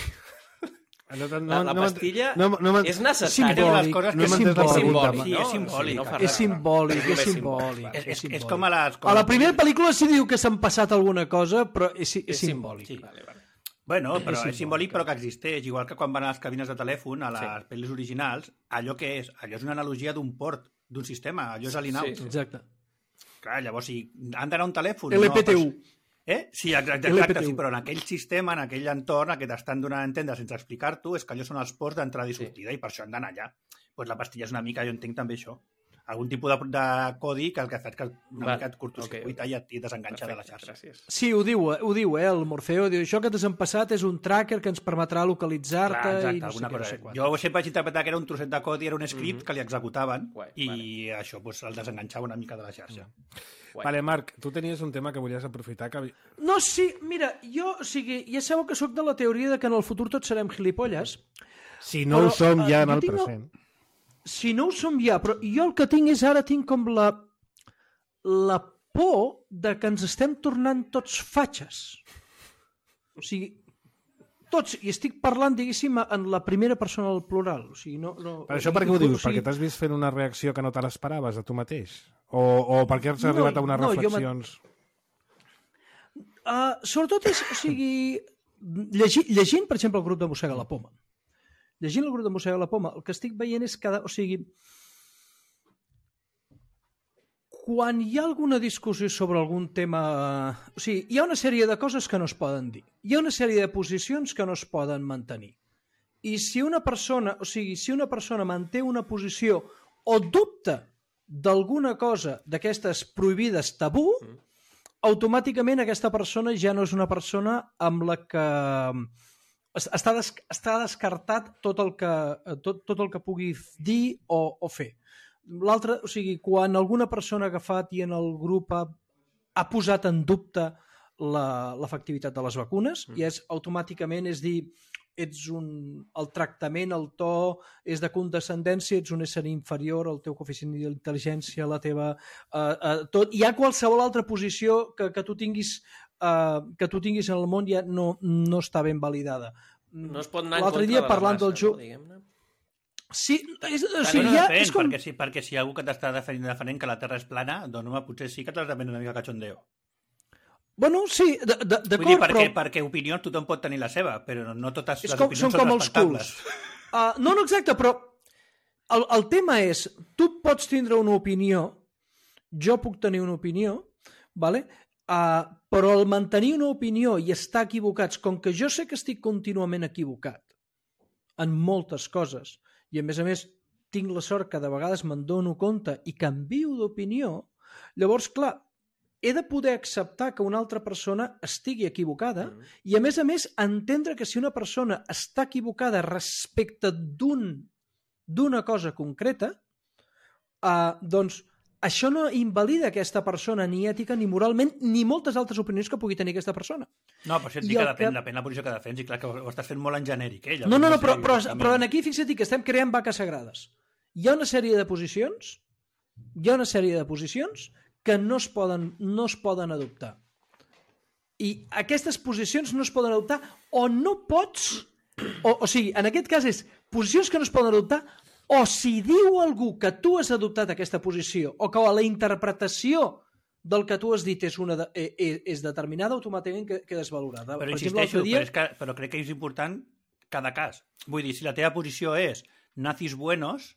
No, no, la, la pastilla no, no, no, és necessària. Simbòlic, coses que és simbòlic. Sí, és simbòlic. No, és simbòlic, és simbòlic. És, és, és com a les... Com a la primera pel·lícula sí diu que s'han passat alguna cosa, però és, és, és simbòlic. Sí. Vale, vale. Bueno, però és simbòlic, és simbòlic però que existeix, igual que quan van a les cabines de telèfon, a les sí. pel·lis originals, allò que és, allò és una analogia d'un port, d'un sistema, allò és l'in-out. Sí, sí. Exacte. Clar, llavors, si han d'anar a un telèfon... L P T U. No, però... Eh? Sí, exacte, exacte sí, però en aquell sistema, en aquell entorn, que t'estan donant a entendre sense explicar-t'ho, és que allò són els ports d'entrada i sortida, sí. I per això han d'anar allà. Pues la pastilla és una mica, jo entenc també això. Algun tipus de, de codi que el que fa és que una Va, mica et curtocircuita okay, okay. I et desenganxa Perfecte, de la xarxa. Gràcies. Sí, ho diu, ho diu, eh, el Morfeo. Diu, això que t'has empassat és un tracker que ens permetrà localitzar-te i no sé què, no sé quan. Jo sempre vaig interpretar que era un trosset de codi, era un script mm -hmm. que li executaven Guai, i vale. això pues, el desenganxava una mica de la xarxa. Mm. Vale, Marc, tu tenies un tema que volies aprofitar. Que... No, sí, mira, jo, o sigui, ja sabeu que sóc de la teoria de que en el futur tots serem gilipolles. Si no però, ho som ja en el present. El... Si no ho som ja, però jo el que tinc és ara tinc com la la por de que ens estem tornant tots fatxes. O sigui, tots, i estic parlant, diguéssim, en la primera persona del plural. O sigui, no, no, per això per què ho dius? O sigui... Perquè t'has vist fent una reacció que no te l'esperaves a tu mateix? O, o perquè has no, arribat a unes no, reflexions? Uh, sobretot és, o sigui, llegint, llegint, per exemple, el grup de Mossega la Poma. Llegint el grup de Mossega la Poma, el que estic veient és cada... O sigui, quan hi ha alguna discussió sobre algun tema... O sigui, hi ha una sèrie de coses que no es poden dir. Hi ha una sèrie de posicions que no es poden mantenir. I si una persona, o sigui, si una persona manté una posició o dubta d'alguna cosa d'aquestes prohibides tabú, mm. automàticament aquesta persona ja no és una persona amb la que... Està, des, està descartat tot el que, tot, tot el que pugui dir o, o fer. L'altre, o sigui, quan alguna persona ha agafat i en el grup ha, ha posat en dubte l'efectivitat de les vacunes, mm. i és automàticament és dir, ets un... el tractament, el to, és de condescendència, ets un ésser inferior, el teu coeficient d'intel·ligència, la teva... Uh, uh, tot. Hi ha qualsevol altra posició que, que, tu tinguis, uh, que tu tinguis en el món ja no, no està ben validada. No es pot anar en L'altre contra dia, de la parlant massa, del jo... no, diguem-ne. Sí, és, o Sí, sigui, no ja, depèn, és com... perquè, si, perquè si hi ha algú que t'està defendent, defendent que la Terra és plana, doncs home, potser sí que t'has de prendre una mica cachondeo. Bueno, sí, d'acord, Vull dir, perquè, però... perquè opinions tothom pot tenir la seva, però no totes És les com, opinions són són com els respectables. culs. Uh, no, no, exacte, però el, el tema és, tu pots tindre una opinió, jo puc tenir una opinió, vale? uh, però el mantenir una opinió i estar equivocats, com que jo sé que estic contínuament equivocat en moltes coses, i a més a més tinc la sort que de vegades me'n dono compte i canvio d'opinió, llavors, clar, he de poder acceptar que una altra persona estigui equivocada mm. i, a més a més, entendre que si una persona està equivocada respecte d'un d'una cosa concreta, uh, doncs això no invalida aquesta persona ni ètica, ni moralment, ni moltes altres opinions que pugui tenir aquesta persona. No, però això et I dic que el depèn, que- depèn la posició que defensi. Clar que ho estàs fent molt en genèric, eh? No, no, no, Llavors però, sé però, exactament. però en aquí fixa't que estem creant vaques sagrades. Hi ha una sèrie de posicions, hi ha una sèrie de posicions que no es poden, no es poden adoptar. I aquestes posicions no es poden adoptar o no pots, o, o sigui, en aquest cas és posicions que no es poden adoptar, o si diu algú que tu has adoptat aquesta posició o que la interpretació del que tu has dit és, una de, és, és determinada, automàticament quedes valorada. Però Per insisteixo, exemple, dia... però, és que, però crec que és important cada cas. Vull dir, si la teva posició és nazis buenos,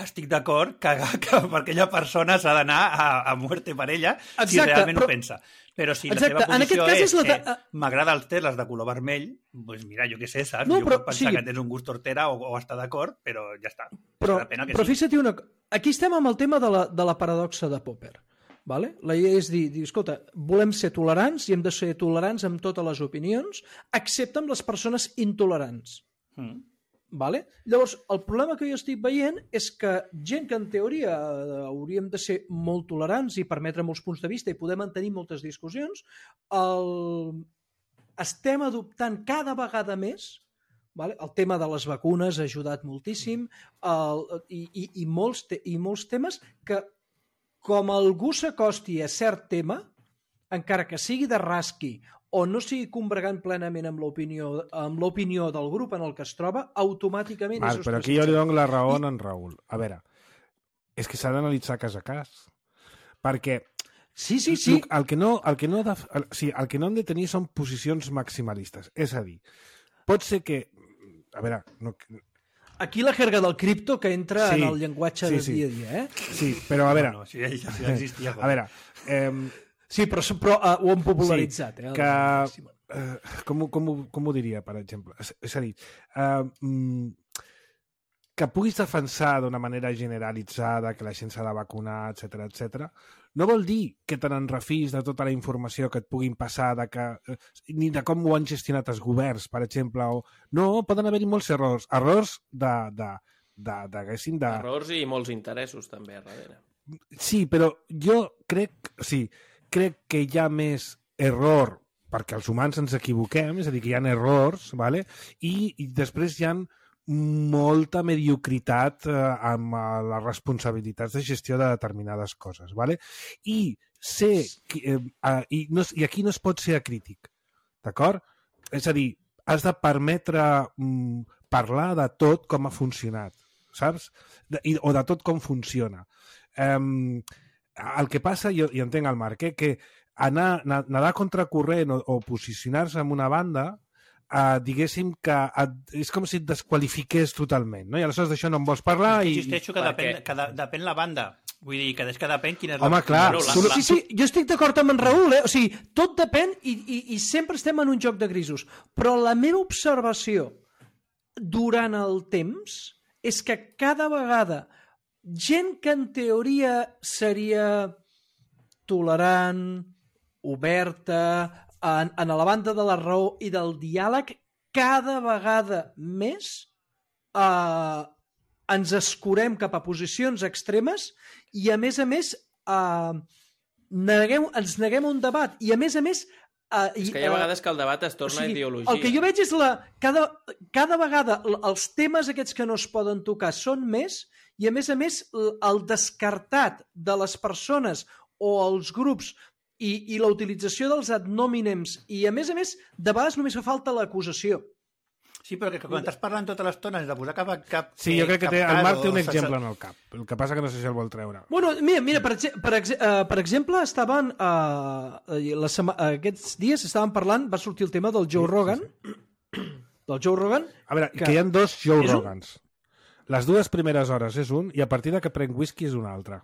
estic d'acord que, que per aquella persona s'ha d'anar a, a muerte per ella, Exacte, si realment però- ho pensa. Però si Exacte, la teva en aquest posició cas és, és la de- eh, m'agrada els teles de color vermell, doncs mira, jo què sé, saps? No, jo però, puc pensar sí. que tens un gust hortera o, o estar d'acord, però ja està. Però, Depèn del que però sigui. fixa't una cosa. Aquí estem amb el tema de la, de la paradoxa de Popper. Vale? La idea és dir, dir, escolta, volem ser tolerants i hem de ser tolerants amb totes les opinions, excepte amb les persones intolerants. Mm. Vale? Llavors, el problema que jo estic veient és que gent que en teoria eh, hauríem de ser molt tolerants i permetre molts punts de vista i poder mantenir moltes discussions, el... estem adoptant cada vegada més, vale? El tema de les vacunes ha ajudat moltíssim, el... I, i, i, molts te... i molts temes que, com algú s'acosti a cert tema, encara que sigui de rasqui o no sigui combregant plenament amb l'opinió amb l'opinió del grup en el que es troba, automàticament Val, és però aquí jo li dono la raó I- I... en Raül. A veure, és que s'ha d'analitzar cas a cas. Perquè Sí, sí, sí. el, el, que no, el, que no de, el, sí, el que no hem de tenir són posicions maximalistes. És a dir, pot ser que... A veure, no, Aquí la jerga del cripto que entra Sí, en el llenguatge sí, de sí. dia a dia, eh? sí, però a veure... No, no, sí, ja, ja existia. A veure, eh, Sí, però, però uh, ho han popularitzat. Sí, eh? que... Eh, com, ho- com, ho- com ho diria, per exemple? És, és a dir, eh, mm, que puguis defensar d'una manera generalitzada que la gent s'ha de vacunar, etc etc. no vol dir que te n'enrefis de tota la informació que et puguin passar, de que, eh, ni de com ho han gestionat els governs, per exemple. O... No, poden haver-hi molts errors. Errors de... de, de, de, de, de... Errors i molts interessos, també, a darrere. Sí, però jo crec, sí, crec que hi ha més error perquè els humans ens equivoquem, és a dir, que hi ha errors, vale? I, i després hi ha molta mediocritat eh, amb eh, les responsabilitats de gestió de determinades coses. Vale? I, ser, eh, eh, i, no, I aquí no es pot ser acrític, d'acord? És a dir, has de permetre mm, parlar de tot com ha funcionat, saps? De, i, o de tot com funciona. Um, el que passa, jo, jo entenc el Marc, eh, que anar, nedar contracorrent o, o posicionar-se en una banda, eh, diguéssim que et, és com si et desqualifiqués totalment, no? I aleshores d'això no en vols parlar i... Insisteixo que, Perquè- depèn, que de, depèn la banda. Vull dir, que és que depèn quina és Home, la... clar, Bueno, la- tu- la- Sí, sí, jo estic d'acord amb en Raül, eh? O sigui, tot depèn i, i, i sempre estem en un joc de grisos. Però la meva observació durant el temps és que cada vegada gent que en teoria seria tolerant, oberta, en, en la banda de la raó i del diàleg, cada vegada més eh, ens escurem cap a posicions extremes i, a més a més, eh, neguem, ens neguem a un debat i, a més a més, Uh, és que hi ha vegades que el debat es torna o sigui, ideologia. El que jo veig és la... Cada, cada vegada els temes aquests que no es poden tocar són més i, a més a més, el descartat de les persones o els grups i, i la utilització dels ad hominems i, a més a més, de vegades només fa falta l'acusació. Sí, però que quan estàs parlant tota l'estona has de posar cap... cap sí, jo crec que té, cap el Marc té un sense... exemple en el cap. El que passa que no sé si el vol treure. Bueno, mira, mira per, ex per, ex uh, per exemple, estaven uh, la sema aquests dies estaven parlant, va sortir el tema del Joe sí, Rogan, sí, sí. del Joe Rogan... A veure, que, que hi ha dos Joe Rogans. Un? Les dues primeres hores és un i a partir de que prenc whisky és un altre.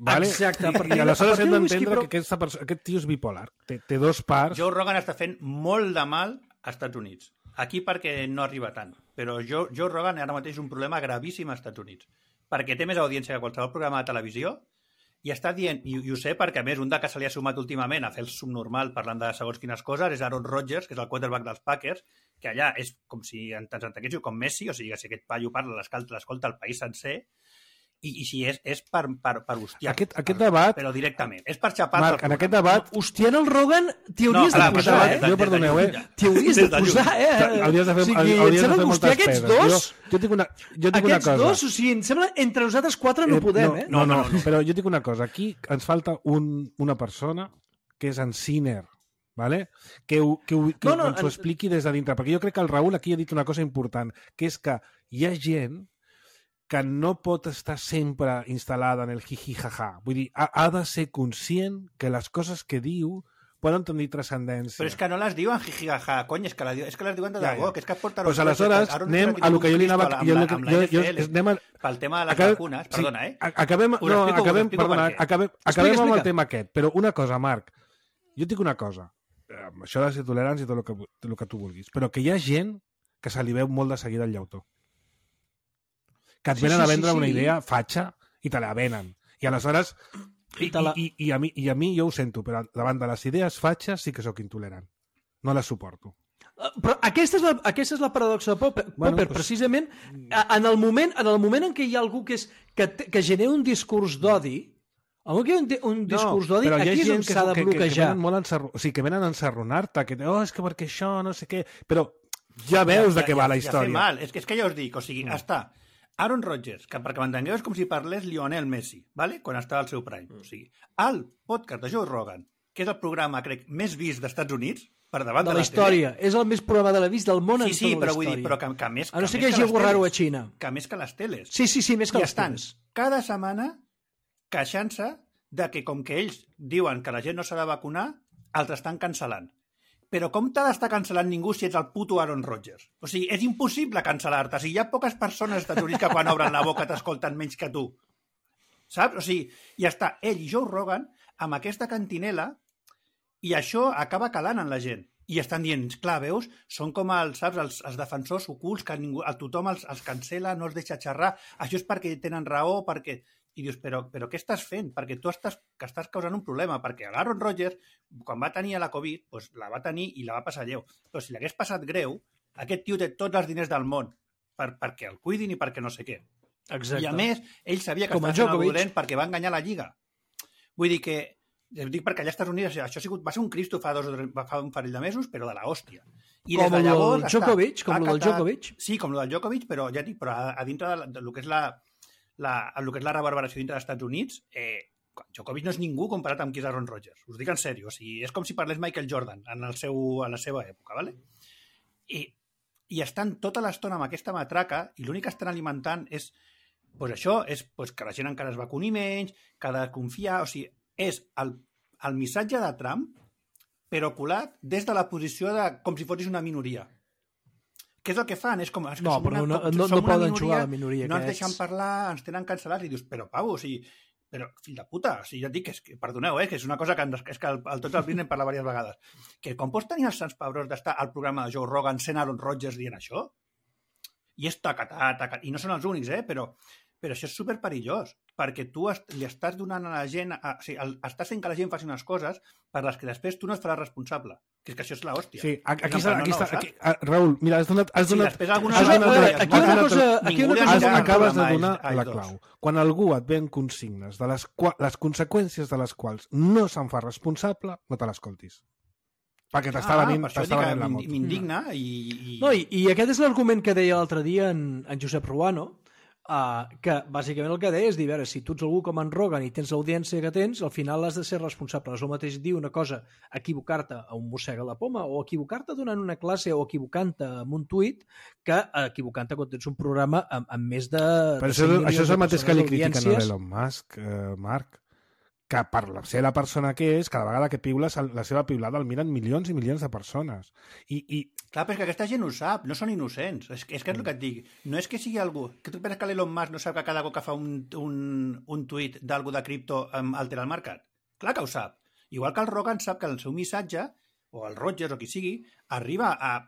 Vale? Exacte. A partir, I aleshores hem d'entendre però... que aquesta persona, aquest tio és bipolar. Té, té dos parts. Joe Rogan està fent molt de mal als Estats Units. Aquí perquè no arriba tant, però Joe, Joe Rogan ara mateix és un problema gravíssim als Estats Units, perquè té més audiència que qualsevol programa de televisió i està dient, i, i ho sé perquè a més un de que se li ha sumat últimament a fer el subnormal parlant de segons quines coses és Aaron Rodgers, que és el quarterback dels Packers, que allà és com si ens entenguéssiu com Messi, o sigui que si aquest paio parla l'escolta el país sencer, i, i si és, és per, per, per hostiar. Aquest, aquest debat... Però directament. És per xapar... Marc, en aquest debat... Hostiant el Rogan t'hi hauries no, de posar, eh? Jo, perdoneu, eh? T'hi hauries de posar, eh? Hauries de fer, o sigui, hauries de fer moltes pedes. Dos, jo, jo dic una, jo dic una cosa. Aquests dos, o sigui, em sembla, entre nosaltres quatre no podem, eh? No, no, no, però jo dic una cosa. Aquí ens falta un, una persona que és en Sinner, ¿vale? que, ho, que, ho, que no, no, ens ho expliqui des de dintre. Perquè jo crec que el Raül aquí ha dit una cosa important, que és que hi ha gent que no pot estar sempre instal·lada en el jiji-jaja. Vull dir, ha, ha de ser conscient que les coses que diu poden tenir transcendència. Però és que no les diuen jiji-jaja, cony, és que, la, és que les diuen de debò, ja, ja. que és que porten... Pues aleshores anem a lo que jo li anava... Amb, jo, la, amb la N F L, jo, anem a... pel tema de les acabem, vacunes, perdona, eh? Sí, acabem, no, acabem, perdona, acabem, acabem amb el tema aquest, però una cosa, Marc, jo et dic una cosa, amb això de ser tolerants i tot el que, el que tu vulguis, però que hi ha gent que se li veu molt de seguida el llautó. Que et venen sí, sí, a vendre sí, sí. una idea fatxa i te la venen. I aleshores... I, la... i, i, i, a mi, I a mi jo ho sento, però davant de les idees fatxes sí que sóc intolerant. No les suporto. Uh, però aquesta és la, aquesta és la paradoxa de Popper. Bueno, Popper, pues... precisament, en el, moment, en el moment en què hi ha algú que, és, que, que genera un discurs d'odi, en el que hi ha un, un discurs no, d'odi, aquí és on s'ha de bloquejar. Que, que, que molt ensarro... o sigui, que venen a ensarronar-te, que oh, és que perquè això, no sé què... Però ja veus ja, de què ja, va la història. Ja mal. És que, és que ja us dic, o sigui, mm. està... Aaron Rodgers, que perquè m'entengueu és com si parlés Lionel Messi, ¿vale? Quan estava al seu prime. O sigui, el podcast de Joe Rogan, que és el programa, crec, més vist dels Estats Units, per davant de, de la, la història. Tele. És el més programa de la vist del món sí, en sí, tota però la vull història. dir, però que, que més a no ser que, que hi hagi algú raro a Xina. Que més que les teles. Sí, sí, sí, més que I les estan teles. cada setmana queixant-se de que com que ells diuen que la gent no s'ha de vacunar, altres estan cancel·lant. Però com t'ha d'estar cancel·lant ningú si ets el puto Aaron Rodgers? O sigui, és impossible cancel·lar-te. O sigui, hi ha poques persones als Estats Units que quan obren la boca t'escolten menys que tu. Saps? O sigui, ja està ell i Joe Rogan amb aquesta cantinela i això acaba calant en la gent. I estan dient, clar, veus, són com els, saps, els, els defensors ocults que ningú, a tothom els, els cancela, no els deixa xerrar. Això és perquè tenen raó, perquè... I dius, però, però què estàs fent? Perquè tu estàs, que estàs causant un problema, perquè l'Aaron Rodgers, quan va tenir la Covid, doncs la va tenir i la va passar lleu. Però si l'hagués passat greu, aquest tio té tots els diners del món per, perquè el cuidin i perquè no sé què. Exacte. I a més, ell sabia que estava fent el dolent perquè va enganyar la Lliga. Vull dir que, dic perquè allà als Estats Units això ha sigut, va ser un Cristo fa, dos, fa un parell de mesos, però de l'hòstia. I com el del Djokovic, com el del Djokovic. Sí, com el del Djokovic, però ja dic, però a, a dintre de, de, de lo que és la... La, el que és la reverberació dintre dels Estats Units, eh, Djokovic no és ningú comparat amb qui és Aaron Rodgers. Us dic en sèrio. O sigui, és com si parlés Michael Jordan en, el seu, en la seva època, ¿vale? I, i estan tota l'estona amb aquesta matraca i l'únic que estan alimentant és pues això, és pues, que la gent encara es vacuni menys, que ha de confiar... O sigui, és el, el missatge de Trump però colat des de la posició de com si fossis una minoria. Què és el que fan? És com, és que no, som però una, no, no, som no una poden minoria, jugar a la minoria. No ens aquests. deixen parlar, ens tenen cancel·lats i dius, però Pau, o sigui, però fill de puta, o sigui, ja et dic, que és, que, perdoneu, eh, que és una cosa que, és que el, el tots els vinen parla diverses vegades. Que com pots tenir els sants pebrons d'estar al programa de Joe Rogan sent Aaron Rodgers dient això? I és tacatà, tacatà, i no són els únics, eh, però, però això és superperillós, perquè tu est, li estàs donant a la gent, a, o sigui, el, estàs fent que la gent faci unes coses per les que després tu no et faràs responsable. Que és que això és l'hòstia. Sí, aquí està, aquí està, aquí, ah, Raül, mira, has donat... Has donat, sí, després alguna has donat, cosa... Aquí una cosa... Aquí una cosa has, acabes de donar la clau. Quan algú et ven consignes de les, les conseqüències de les quals no se'n fa responsable, no te l'escoltis. perquè t'està Ah, venint, per això t'està dic que venint la m'in- moto. m'indigna i... i... No, i, i aquest és l'argument que deia l'altre dia en, en Josep Ruano, uh, que bàsicament el que deia és dir, a veure, si tu ets algú com en Rogan i tens l'audiència que tens, al final has de ser responsable. És el mateix dir una cosa, equivocar-te a un mossega la poma, o equivocar-te donant una classe, o equivocant-te amb un tuit, que equivocant-te quan tens un programa amb, amb més de... Però de això, cinc això és el milions de mateix que li persones critiquen a audiències. l'Elon Musk, eh, Marc, que per la- ser la persona que és, cada vegada que piula, la seva piulada el miren milions i milions de persones. I, i Clar, però és que aquesta gent ho sap, no són innocents. És, que- és que és el que et dic. No és que sigui algú... Que tu penses que l'Elon Musk no sap que cada cop que fa un, un, un tuit d'algú de cripto em altera el mercat? Clar que ho sap. Igual que el Rogan sap que el seu missatge, o el Rogers o qui sigui, arriba a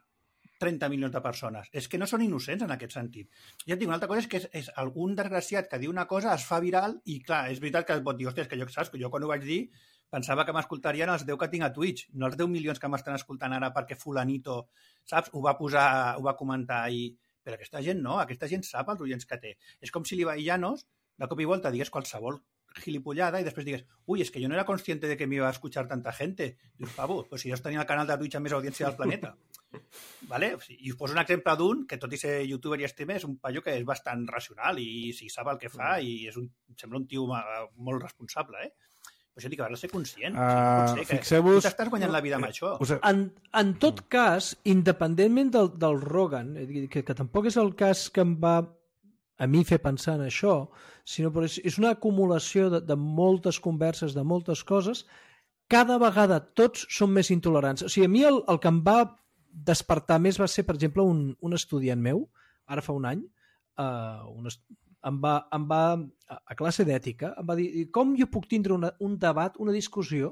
trenta milions de persones. És que no són innocents en aquest sentit. Ja et dic, una altra cosa és que és, és algun desgraciat que diu una cosa, es fa viral, i clar, és veritat que pot dir, hòstia, és que jo, saps, que jo quan ho vaig dir pensava que m'escoltarien els deu que tinc a Twitch, no els deu milions que m'estan escoltant ara perquè fulanito, saps, ho va posar, ho va comentar i... Però aquesta gent no, aquesta gent sap els oients que té. És com si l'Ibai Llanos, de cop i volta, digués qualsevol gilipollada i després digues, uy, es que yo no era consciente de que me iba a escuchar tanta gente. Dius, pavo, pues si jo tenia el canal de Twitch amb més audiència del planeta. Vale? I us poso un exemple d'un que, tot i ser youtuber i streamer, és un paio que és bastant racional i si sap el que fa i és un, sembla un tio molt responsable, eh? Per això dic que has de ser conscient. Uh, o sigui, no pot ser que fixeu-vos... tu t'estàs guanyant la vida amb això. Us... En, en tot cas, independentment del, del Rogan, que, que tampoc és el cas que em va a mi fer pensar en això, sinó que és, és una acumulació de, de moltes converses, de moltes coses, cada vegada tots són més intolerants. O sigui, a mi el, el que em va despertar més va ser, per exemple, un, un estudiant meu, ara fa un any, uh, un est... em, va, em va, a classe d'ètica, em va dir, com jo puc tindre una, un debat, una discussió,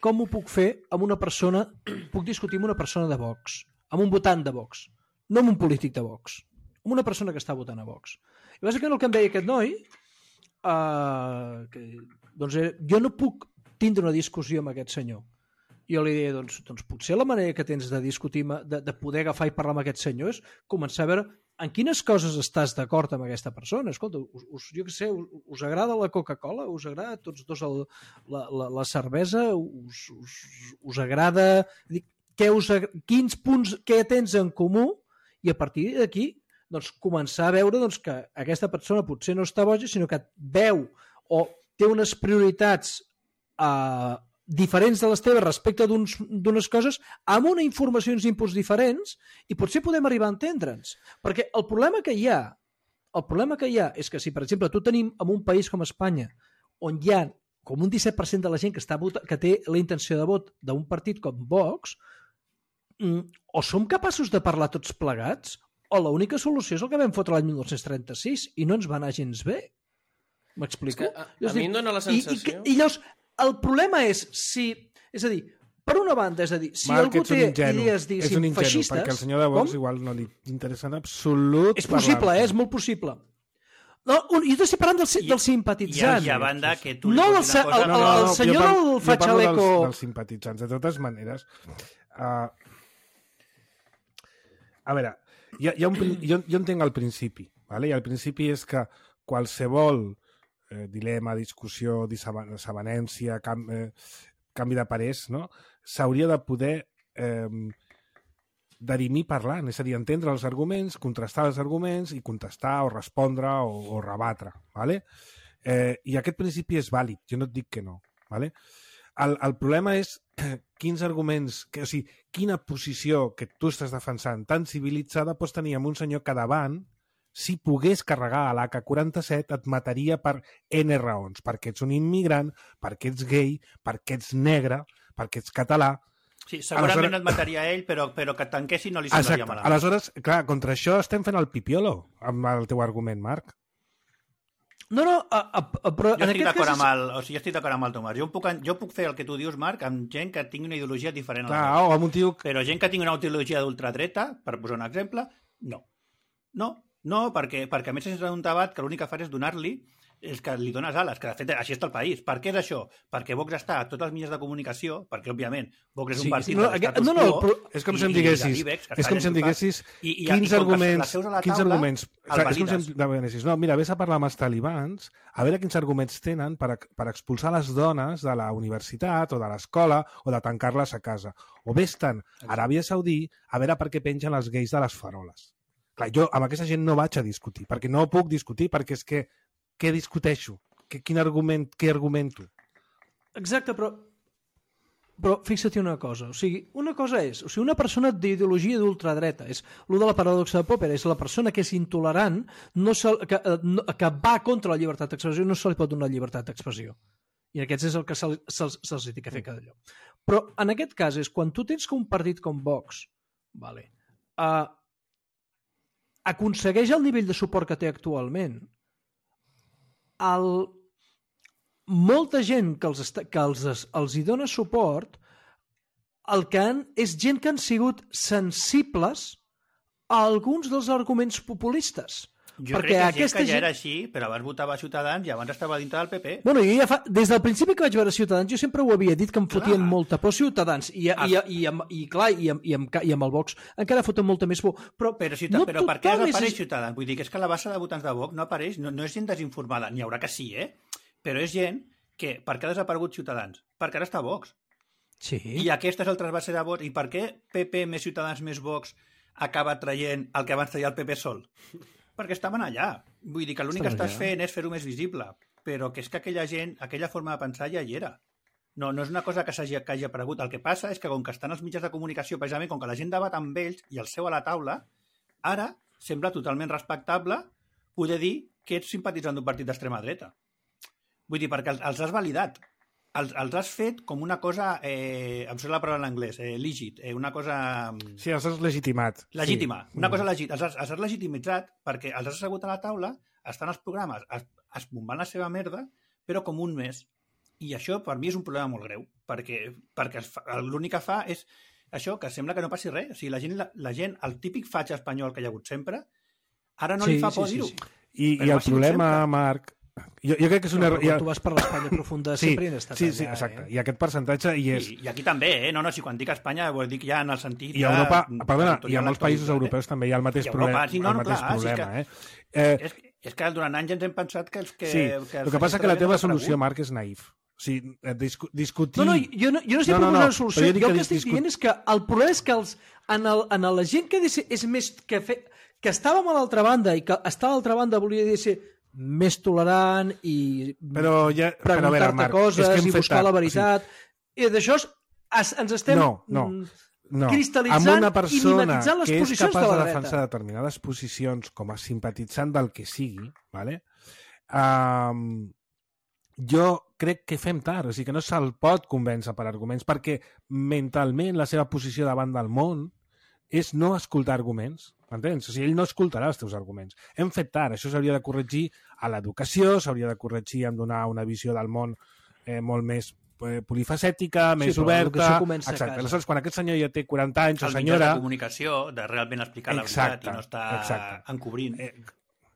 com ho puc fer amb una persona, puc discutir amb una persona de Vox, amb un votant de Vox, no amb un polític de Vox, amb una persona que està votant a Vox. I bàsicament el que em deia aquest noi, uh, que, doncs, eh, jo no puc tindre una discussió amb aquest senyor. I jo li deia, doncs, doncs potser la manera que tens de discutir, de, de poder agafar i parlar amb aquest senyor és començar a veure en quines coses estàs d'acord amb aquesta persona. Escolta, us, us, jo què sé, us, us agrada la Coca-Cola? Us agrada a tots dos el, la, la, la cervesa? Us, us, us agrada... Dic, què us, quins punts, què tens en comú? I a partir d'aquí doncs, començar a veure doncs, que aquesta persona potser no està boja, sinó que veu o té unes prioritats eh, diferents de les teves respecte d'unes coses amb una informació i uns inputs diferents i potser podem arribar a entendre'ns. Perquè el problema que hi ha el problema que hi ha és que si, per exemple, tu tenim en un país com Espanya on hi ha com un disset per cent de la gent que, està vota, que té la intenció de vot d'un partit com Vox, o som capaços de parlar tots plegats o l'única solució és el que vam fotre l'any dinou trenta-sis i no ens va anar gens bé. M'explico? És que a, a mi em dóna la sensació... I, i, i llavors, el problema és si... És a dir, per una banda, és a dir, si Marc, algú ets un té ingenu, idees, diguéssim, és un ingenu, feixistes... perquè el senyor de Vox com? igual no li interessa en absolut... És possible, eh? És molt possible. No, un, jo estic parlant del, I- del simpatitzant. I, i a banda que tu... No, li el, posis una el, cosa... el, el, el senyor jo parlo, del jo parlo Fatxaleco... dels, dels simpatitzants. De totes maneres, uh, a veure, hi ha, hi ha un, prin- jo, jo entenc el principi, vale? I el principi és que qualsevol eh, dilema, discussió, desavenència, cam, eh, canvi de parers, no? S'hauria de poder eh, dirimir parlant, és a dir, entendre els arguments, contrastar els arguments i contestar o respondre o, o rebatre. Vale? Eh, I aquest principi és vàlid, jo no et dic que no. Vale? El, el problema és quins arguments, que, o sigui, quina posició que tu estàs defensant tan civilitzada pots tenir amb un senyor que davant, si pogués carregar a l'A K quaranta-set, et mataria per N raons, perquè ets un immigrant, perquè ets gay, perquè ets negre, perquè ets català. Sí, segurament Aleshores... no et mataria ell, però, però que et tanquessin no li semblaria Exacte. malament. Aleshores, clar, contra això estem fent el pipiolo, amb el teu argument, Marc. No, no, a, a, a, però Jo en estic aquest d'acord cas... amb el, o sigui, jo estic d'acord amb el Tomàs. Jo puc, jo puc fer el que tu dius, Marc, amb gent que tingui una ideologia diferent a la Clar, meva. o amb un tio... Però gent que tingui una ideologia d'ultradreta, per posar un exemple, no. No, no, perquè, perquè a més és un debat que l'únic que fa és donar-li és que li dones ales, que de fet així està el país. Per què és això? Perquè Vox està a tots els mitjans de comunicació, perquè, òbviament, Vox és un Sí, partit sí, no, de l'estatus no, no, quo, però- És com i- si em i de diguessis, l'Ibex, que és està com si em allà diguessis i- i- i quins com que arguments, les seus a la quins taula, arguments, el és com si valides. em diguessis, no, mira, vés a parlar amb els talibans, a veure quins arguments tenen per, per expulsar les dones de la universitat o de l'escola o de tancar-les a casa. O vés-te'n a Aràbia Saudí a veure per què pengen els gais de les faroles. Clar, jo amb aquesta gent no vaig a discutir, perquè no puc discutir, perquè és que què discuteixo? Que, quin argument, què argumento? Exacte, però però fixa't una cosa, o sigui, una cosa és, o sigui, una persona d'ideologia d'ultradreta, és el de la paradoxa de Popper, és la persona que és intolerant, no se, que, eh, no, que va contra la llibertat d'expressió, no se li pot donar llibertat d'expressió. I aquests és el que se'ls se, se, se ha de fer cada lloc. Però en aquest cas és quan tu tens que un partit com Vox, vale, uh, aconsegueix el nivell de suport que té actualment, el molta gent que els, està, que els, els hi dona suport el que han, és gent que han sigut sensibles a alguns dels arguments populistes. Jo perquè crec que aquesta gent que ja gent... era així, però abans votava Ciutadans i abans estava dintre del P P. Bueno, jo ja fa... Des del principi que vaig veure Ciutadans, jo sempre ho havia dit que em fotien Clar. molta por Ciutadans. I, i, i, i, amb, i clar, i amb, i, amb, i amb el Vox encara foten molta més por. Però, Però, ciutat, no però per què tothom apareix és... Ciutadans? Vull dir que és que la base de votants de Vox no apareix, no, no és gent desinformada, n'hi haurà que sí, eh? Però és gent que, per què ha desaparegut Ciutadans? Perquè ara està Vox. Sí. I aquesta és el trasbase de vots. I per què P P més Ciutadans més Vox acaba traient el que abans traia el P P sol? Perquè estaven allà. Vull dir que l'únic que Estaven estàs allà. fent és fer-ho més visible. Però que és que aquella gent, aquella forma de pensar ja hi era. No, no és una cosa que, hagi, que hagi aparegut. El que passa és que com que estan els mitjans de comunicació, precisament com que la gent debat amb ells i el seu a la taula, ara sembla totalment respectable poder dir que ets simpatitzant d'un partit d'extrema dreta. Vull dir, perquè els, els has validat. Els, els has fet com una cosa, eh, em surt la paraula en anglès, eh, legit, eh, una cosa Sí, els has legitimat. legítima, Sí. una cosa legit. Els has, els has legitimitzat perquè els has assegut a la taula, estan els programes, es, es bombant la seva merda, però com un mes. I això per mi és un problema molt greu, perquè, perquè es fa- l'únic que fa és això, que sembla que no passi res. O sigui, la gent, la, la gent el típic fatxa espanyol que hi ha hagut sempre, ara no Sí, li fa sí, por sí, dir-ho. sí. I, Però i ha el sigut problema, sempre. Marc, jo, jo crec que és No, una... però quan tu vas per l'Espanya profunda sí, sempre hi han estat sí, allà. sí, exacte. Eh? I aquest percentatge hi és. I, I aquí també, eh? No, no, si quan dic Espanya vol dir que ja en el sentit... I a ja Europa, perdona, territorial i a molts països actualitzat, europeus també hi ha el mateix I a Europa, problema. sí, no, el no, mateix clar, sí, problema, que- eh? Eh, És, és que durant anys ens hem pensat que... Els, que, sí, que el que passa que la teva solució, Marc, és naïf. O sigui, eh, discu discutir... No, no, jo no, jo no estic No, no, proposant no, una solució. però jo Jo, dic el que que estic discut- dient és que el problema és que els, en, el, en la gent que és, és més... Que, fe, que estàvem a l'altra banda i que està a l'altra banda volia dir ser més tolerant i Però ja... però a veure, preguntar-te Marc, coses és que hem i fet buscar tard. la veritat. O sigui, I d'això es- es, ens estem No, no. mm, No, cristal·litzant amb una i persona mimetitzant les que és posicions capaç de de, la defensar dreta. determinades posicions com a simpatitzant del que sigui, ¿vale? um, jo crec que fem tard, o sigui que no se'l pot convèncer per arguments, perquè mentalment la seva posició davant del món és no escoltar arguments, m'entens? O sigui, ell no escoltarà els teus arguments. Hem fet tard, això s'hauria de corregir a l'educació, s'hauria de corregir en donar una visió del món eh, molt més eh, polifacètica, més però oberta... l'educació comença a Exacte. casa. Aleshores, quan aquest senyor ja té quaranta anys o el mitjà senyora... de comunicació, de realment explicar la Exacte, veritat i no estar exacte. encobrint. Eh,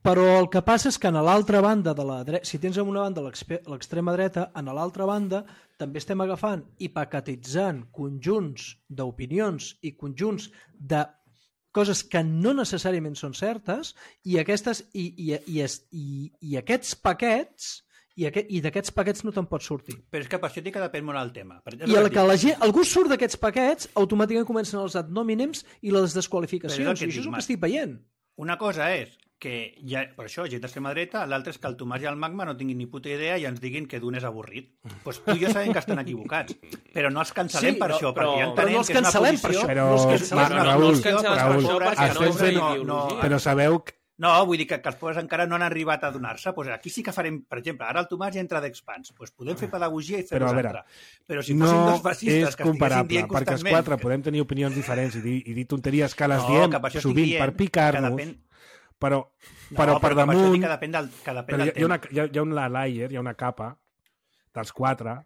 Però el que passa és que a l'altra banda de la dreta, si tens en una banda l'expe- l'extrema dreta, a l'altra banda també estem agafant i paquetitzant conjunts d'opinions i conjunts de coses que no necessàriament són certes i aquestes i, i, i, i, i aquests paquets i, aquest, i d'aquests paquets no te'n pots sortir. Però és que per això dic que depèn molt el tema. Per, és I el el que que dic. la gent, algú surt d'aquests paquets, automàticament comencen els ad nomínems i les Però és desqualificacions. el que I et això és dic, el que Marc. estic veient. Una cosa és que, ja, per això, gent d'extrema dreta, l'altre és que el Tomàs i el Magma no tinguin ni puta idea i ens diguin que d'un és avorrit. Doncs pues tu i jo sabem que estan equivocats, però no els cancel·lem Sí, per però- això, però- perquè ja però entenem no els que és una cancel·lem per posició... això. Però, No els Ma- cancel·lem. no, no Raül, els cancel·les per Raül, això, perquè estem no és una fent- ideologia. però sabeu que No, vull dir que, que els pobres encara no han arribat a donar-se. Pues aquí sí que farem, per exemple, ara el Tomàs ja entra d'expans. Pues podem fer pedagogia i fer Però, a veure, nosaltres. Però si fossin no dos fascistes és que estiguessin comparable, dient perquè els constantment... quatre podem tenir opinions diferents i dir, i dir tonteries que les No, diem que per això estic sovint dient per que picar-nos, depèn- però, No, però per que això damunt... dic que depèn del, que depèn Però hi del ha, hi, ha una, tema. hi, ha, hi ha una layer, hi ha una capa dels quatre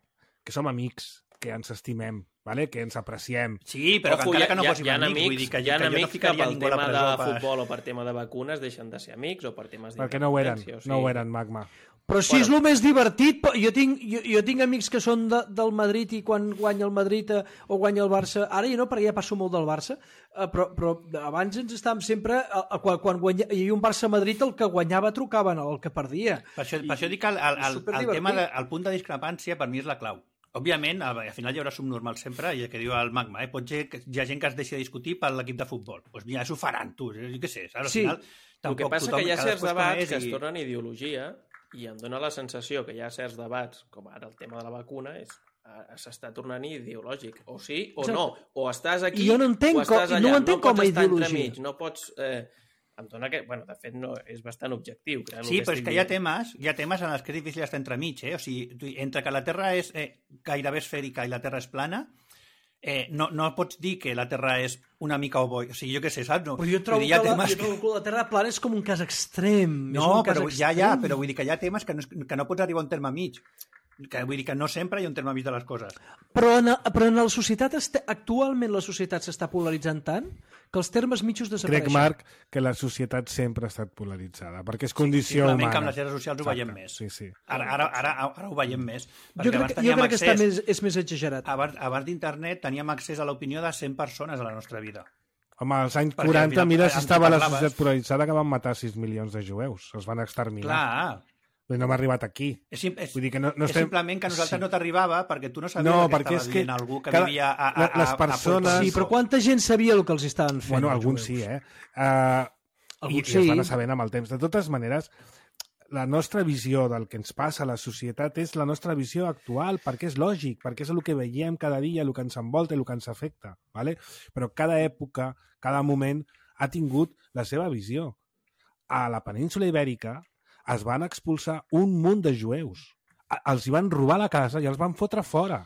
que som amics, que ens estimem, ¿vale? Que ens apreciem. Sí, però Ojo, que encara hi ha- que no hi ha- fossin hi ha amics, vull amics, dir que, hi ha que jo no amics que ficaria pel ningú a la tema de presó per... futbol o per tema de vacunes deixen de ser amics o per temes Perquè no ho eren, d'independència, o sigui, no ho eren, Magma. Però si bueno. és el més divertit, jo tinc, jo, jo tinc amics que són de, del Madrid i quan guanya el Madrid eh, o guanya el Barça, ara ja no, perquè ja passo molt del Barça, eh, però, però abans ens estàvem sempre, eh, quan, quan guanya, hi havia un Barça-Madrid, el que guanyava trucaven el que perdia. Per això, per això dic que el, el, el, el, tema de, el punt de discrepància per mi és la clau. Òbviament, al, al final hi haurà subnormal sempre, i el que diu el Magma, eh? Pot ser que hi ha gent que es deixi de discutir per l'equip de futbol. Doncs pues mira, s'ho faran, tu, jo què sé, saps? Al sí. final, el que passa que hi ha certs debats que i... es tornen ideologia, i em dóna la sensació que hi ha certs debats, com ara el tema de la vacuna, és s'està tornant ideològic. O sí o no. O estàs aquí jo no entenc o estàs allà. No ho entenc no com a ideologia. Entremig, no pots... Eh, em dona que... Bueno, de fet, no, és bastant objectiu. Sí, però és que hi ha temes, hi ha temes en els que és difícil estar entremig. Eh? O sigui, entre que la Terra és eh, gairebé esfèrica i la Terra és plana, Eh, no, no pots dir que la Terra és una mica ovoide. O sigui, jo què sé, saps? No. Però jo trobo, dir, que, la, jo trobo que la Terra plana és com un cas extrem. No, és un cas però extrem. ja, ja, però vull dir que hi ha temes que no, que no pots arribar a un terme mig. Que, vull dir que no sempre hi ha un terme mig de les coses. Però en, però en la societat, actualment la societat s'està polaritzant tant que els termes mitjos desapareixen. Crec, Marc, que la societat sempre ha estat polaritzada, perquè és condició sí, humana. Que amb les xarxes socials ho veiem més. Sí, sí. Ara, ara, ara, ara ho veiem més. Jo crec, jo crec que està més, és més exagerat. Abans, abans d'internet teníem accés a l'opinió de cent persones a la nostra vida. Home, als anys perquè quaranta, final, mira si estava la societat polaritzada que van matar sis milions de jueus. Els van exterminar. Clar. Però no m'ha arribat aquí. És, és, Vull dir que no, no és estem... simplement que a nosaltres sí. no t'arribava perquè tu no sabies no, que estava dient que algú que cada... vivia a, a, a, les persones... a Sí, però quanta gent sabia el que els estaven fent? Bueno, alguns sí, eh? Uh, alguns i, sí. I es van sabent amb el temps. De totes maneres, la nostra visió del que ens passa a la societat és la nostra visió actual, perquè és lògic, perquè és el que veiem cada dia, el que ens envolta i el que ens afecta. ¿vale? Però cada època, cada moment ha tingut la seva visió. A la península Ibèrica es van expulsar un munt de jueus. Els hi van robar la casa i els van fotre fora.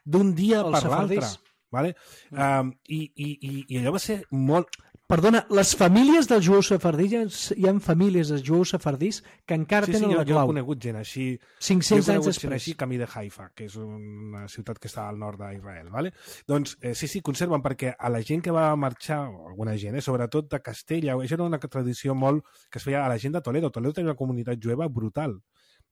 D'un dia per l'altre. Vale? Um, i, i, I allò va ser molt... Perdona, les famílies dels jueus sefardís, hi ha famílies dels jueus sefardís que encara sí, sí, tenen jo, la clau. Jo he conegut gent així... cinc-cents anys després. Gent així camí de Haifa, que és una ciutat que està al nord d'Israel. ¿vale? Doncs eh, sí, sí, conserven, perquè a la gent que va marxar, alguna gent, eh, sobretot de Castella, això era una tradició molt que es feia a la gent de Toledo. Toledo tenia una comunitat jueva brutal.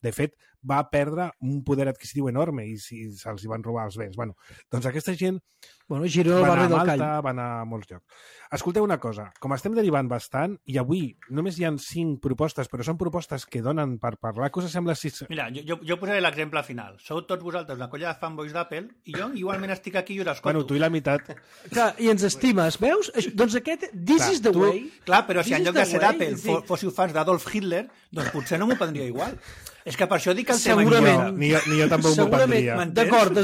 De fet, va perdre un poder adquisitiu enorme i si se'ls van robar els béns. Bueno, doncs aquesta gent bueno, Girona, va anar a Malta, Malta, va anar a molts llocs. Escolteu una cosa, com estem derivant bastant, i avui només hi ha cinc propostes, però són propostes que donen per parlar, què us sembla si... Mira, jo, jo, jo posaré l'exemple final. Sou tots vosaltres una colla de fanboys d'Apple i jo igualment estic aquí i us escolto. Bueno, tu i la meitat. Clar, i ens estimes, veus? Doncs aquest, this clar, is the tu... way. Clar, però si en lloc de ser d'Apple sí. fóssiu fans d'Adolf Hitler, doncs potser no m'ho prendria igual. És que per això dic el tema... Segurament. Ni jo, ni jo tampoc m'ho prendria. D'acord,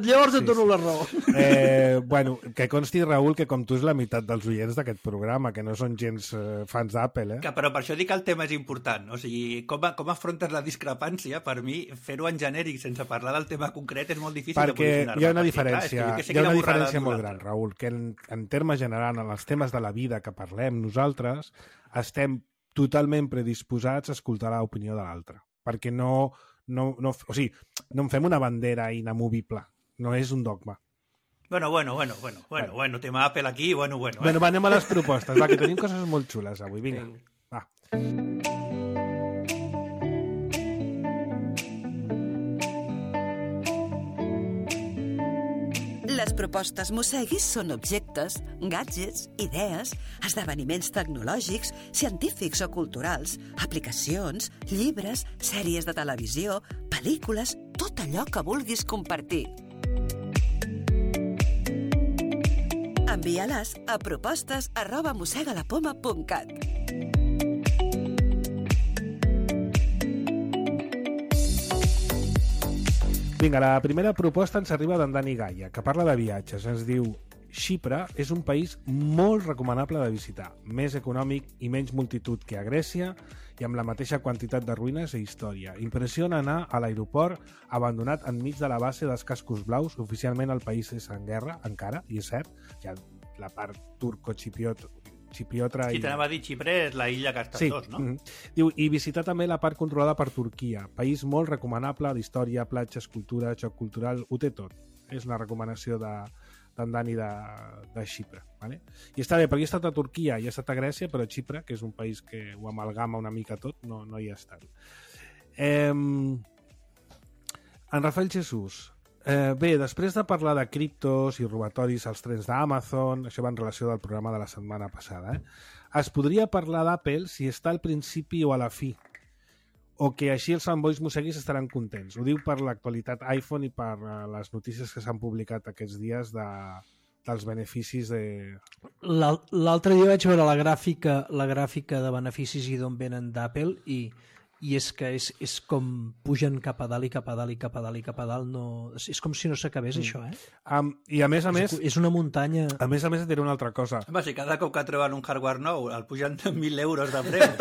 llavors et dono la raó. Eh, bueno, que consti, Raül, que com tu és la meitat dels oients d'aquest programa, que no són gens eh, fans d'Apple, eh? Que, però per això dic que el tema és important. O sigui, com, com afrontes la discrepància, per mi, fer-ho en genèric sense parlar del tema concret és molt difícil perquè de posicionar-me. Hi ha una diferència, Clar, hi ha una diferència molt gran, Raül, que en, en termes generals, en els temes de la vida que parlem nosaltres, estem totalment predisposats a escoltar l'opinió de l'altre. Perquè no, no, no, o sigui, no en fem una bandera inamovible. No és un dogma. Bueno, bueno, bueno, bueno, bueno, bueno, tema Apple aquí, bueno, bueno. Eh? Bueno, va, anem a les propostes, va, que tenim coses molt xules avui, vinga, va. Les propostes Mosseguis són objectes, gadgets, idees, esdeveniments tecnològics, científics o culturals, aplicacions, llibres, sèries de televisió, pel·lícules, tot allò que vulguis compartir. Envia-les a propostes arroba mossegalapoma punt cat. Vinga, la primera proposta ens arriba d'en Dani Gaia, que parla de viatges. Ens diu: Xipre és un país molt recomanable de visitar, més econòmic i menys multitud que a Grècia i amb la mateixa quantitat de ruïnes i història. Impressiona anar a l'aeroport abandonat enmig de la base dels cascos blaus. Oficialment el país és en guerra, encara, i és cert, hi ha la part turco-xipriot Xipiotra sí, i... t'anava a dir, Xipre és la illa que estan sí. dos, no? Mm-hmm. Diu, i visitar també la part controlada per Turquia, país molt recomanable d'història, platges, cultura, xoc cultural, ho té tot. És una recomanació de, d'en Dani de, de Xipre. Vale? I està bé, perquè he estat a Turquia i he estat a Grècia, però a Xipre, que és un país que ho amalgama una mica tot, no, no hi ha estat. Eh, en Rafael Jesús, eh, bé, després de parlar de criptos i robatoris als trens d'Amazon, això va en relació del programa de la setmana passada, eh? Es podria parlar d'Apple si està al principi o a la fi, o que així els fanboys musseguis estaran contents. Ho diu per l'actualitat iPhone i per uh, les notícies que s'han publicat aquests dies de, dels beneficis de... L'altre dia vaig veure la gràfica, la gràfica de beneficis i d'on venen d'Apple i, i és que és, és com pugen cap a dalt i cap a dalt i cap a dalt i cap a dalt. No, és com si no s'acabés mm. això, eh? Um, I a més a més... És, és una muntanya... A més a més et diré una altra cosa. Home, si cada cop que troben un hardware nou el pugen de mil euros de preu.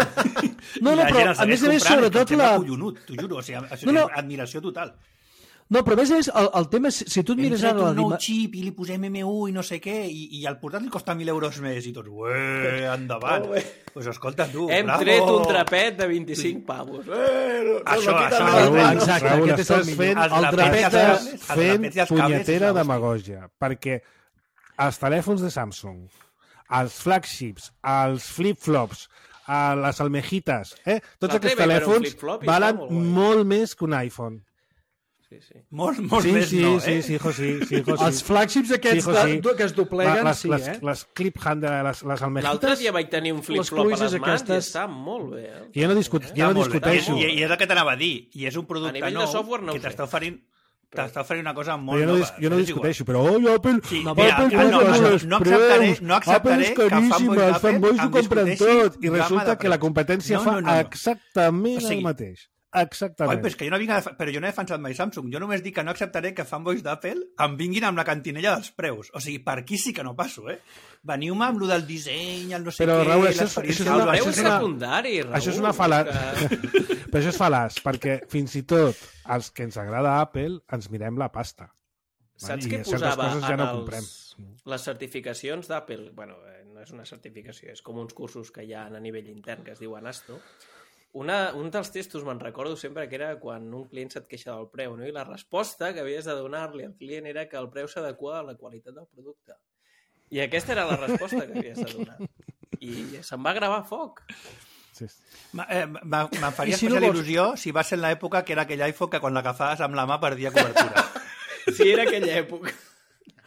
No, no, però a més a més, sobretot la... Collonut, t'ho juro, o sigui, això no, no. és admiració total. No, però a més a més, el, el tema és, si tu et mires Hem ara... tret La un nou dima... xip i li posem M u i no sé què, i, i el portàtil costa mil euros més, i tots, ué, endavant. Doncs pues escolta, tu, Hem bravo. tret un trapet de vint-i-cinc pavos. Eh, no, això, no, això, Raül, exacte, Raül, aquest és el estàs millor. fent, Els el trapets trapet i els estàs cables, els fent trapets i els cables, punyetera és la demagògia, perquè els telèfons de Samsung, els flagships, els flip-flops, a les almejitas, eh? tots La aquests T V, però un telèfons flip-flop i valen està molt guai. molt més que un iPhone. Sí, sí. Molt, molt Sí, més sí, no, sí, eh? sí, hijo, sí, sí, hijo, sí. Els flagships aquests Sí, hijo, sí. de, que es dobleguen, les, sí, les, eh? les clip hand, les, les almejitas... L'altre dia vaig tenir un flip-flop a pluges les mans aquestes- i està molt bé. Eh? Jo no, discut, jo Està no molt bé. discuteixo. I, I és el que t'anava a dir, i és un A producte nivell de nou software no ho que sé. t'està oferint, t'està oferint una cosa Però molt jo no, nova. dis, jo no és igual. discuteixo, però oi, Apple, Sí, no, mira, Apple no, no, posa no, els no acceptaré- preus, no acceptaré Apple és que caríssima, fanboys els fanboys ho d'Apple compren em tot, i discuteixin resulta gamma de que la preus. competència No, fa no, no, no. exactament O sigui, el mateix. Oi, Exactament. però és que jo no, vinc a, def- però jo no he defensat mai Samsung. Jo només dic que no acceptaré que fanboys d'Apple em vinguin amb la cantinella dels preus. O sigui, per aquí sí que no passo, eh? Veniu-me amb lo del disseny, el no sé Però, què, Raül, això és- l'experiència això és El una- del preu això és és una- secundari, Raül. Això és una fala... Que... Però això és fal·laç, perquè fins i tot els que ens agrada Apple ens mirem la pasta. Saps I què certes posava coses ja en no els, comprem. les certificacions d'Apple? Bueno, eh, no és una certificació, és com uns cursos que hi ha a nivell intern que es diuen Asto. Una, un dels testos me'n recordo sempre que era quan un client se't queixa del preu, no? I la resposta que havies de donar-li al client era que el preu s'adequa a la qualitat del producte. I aquesta era la resposta que havies de donar. I se'n va gravar a foc. Sí. Ma- eh, ma- Me'n faria I si no especial vols- il·lusió si va ser en l'època que era aquell iPhone que quan l'agafaves amb la mà perdia cobertura. Sí, era aquella època.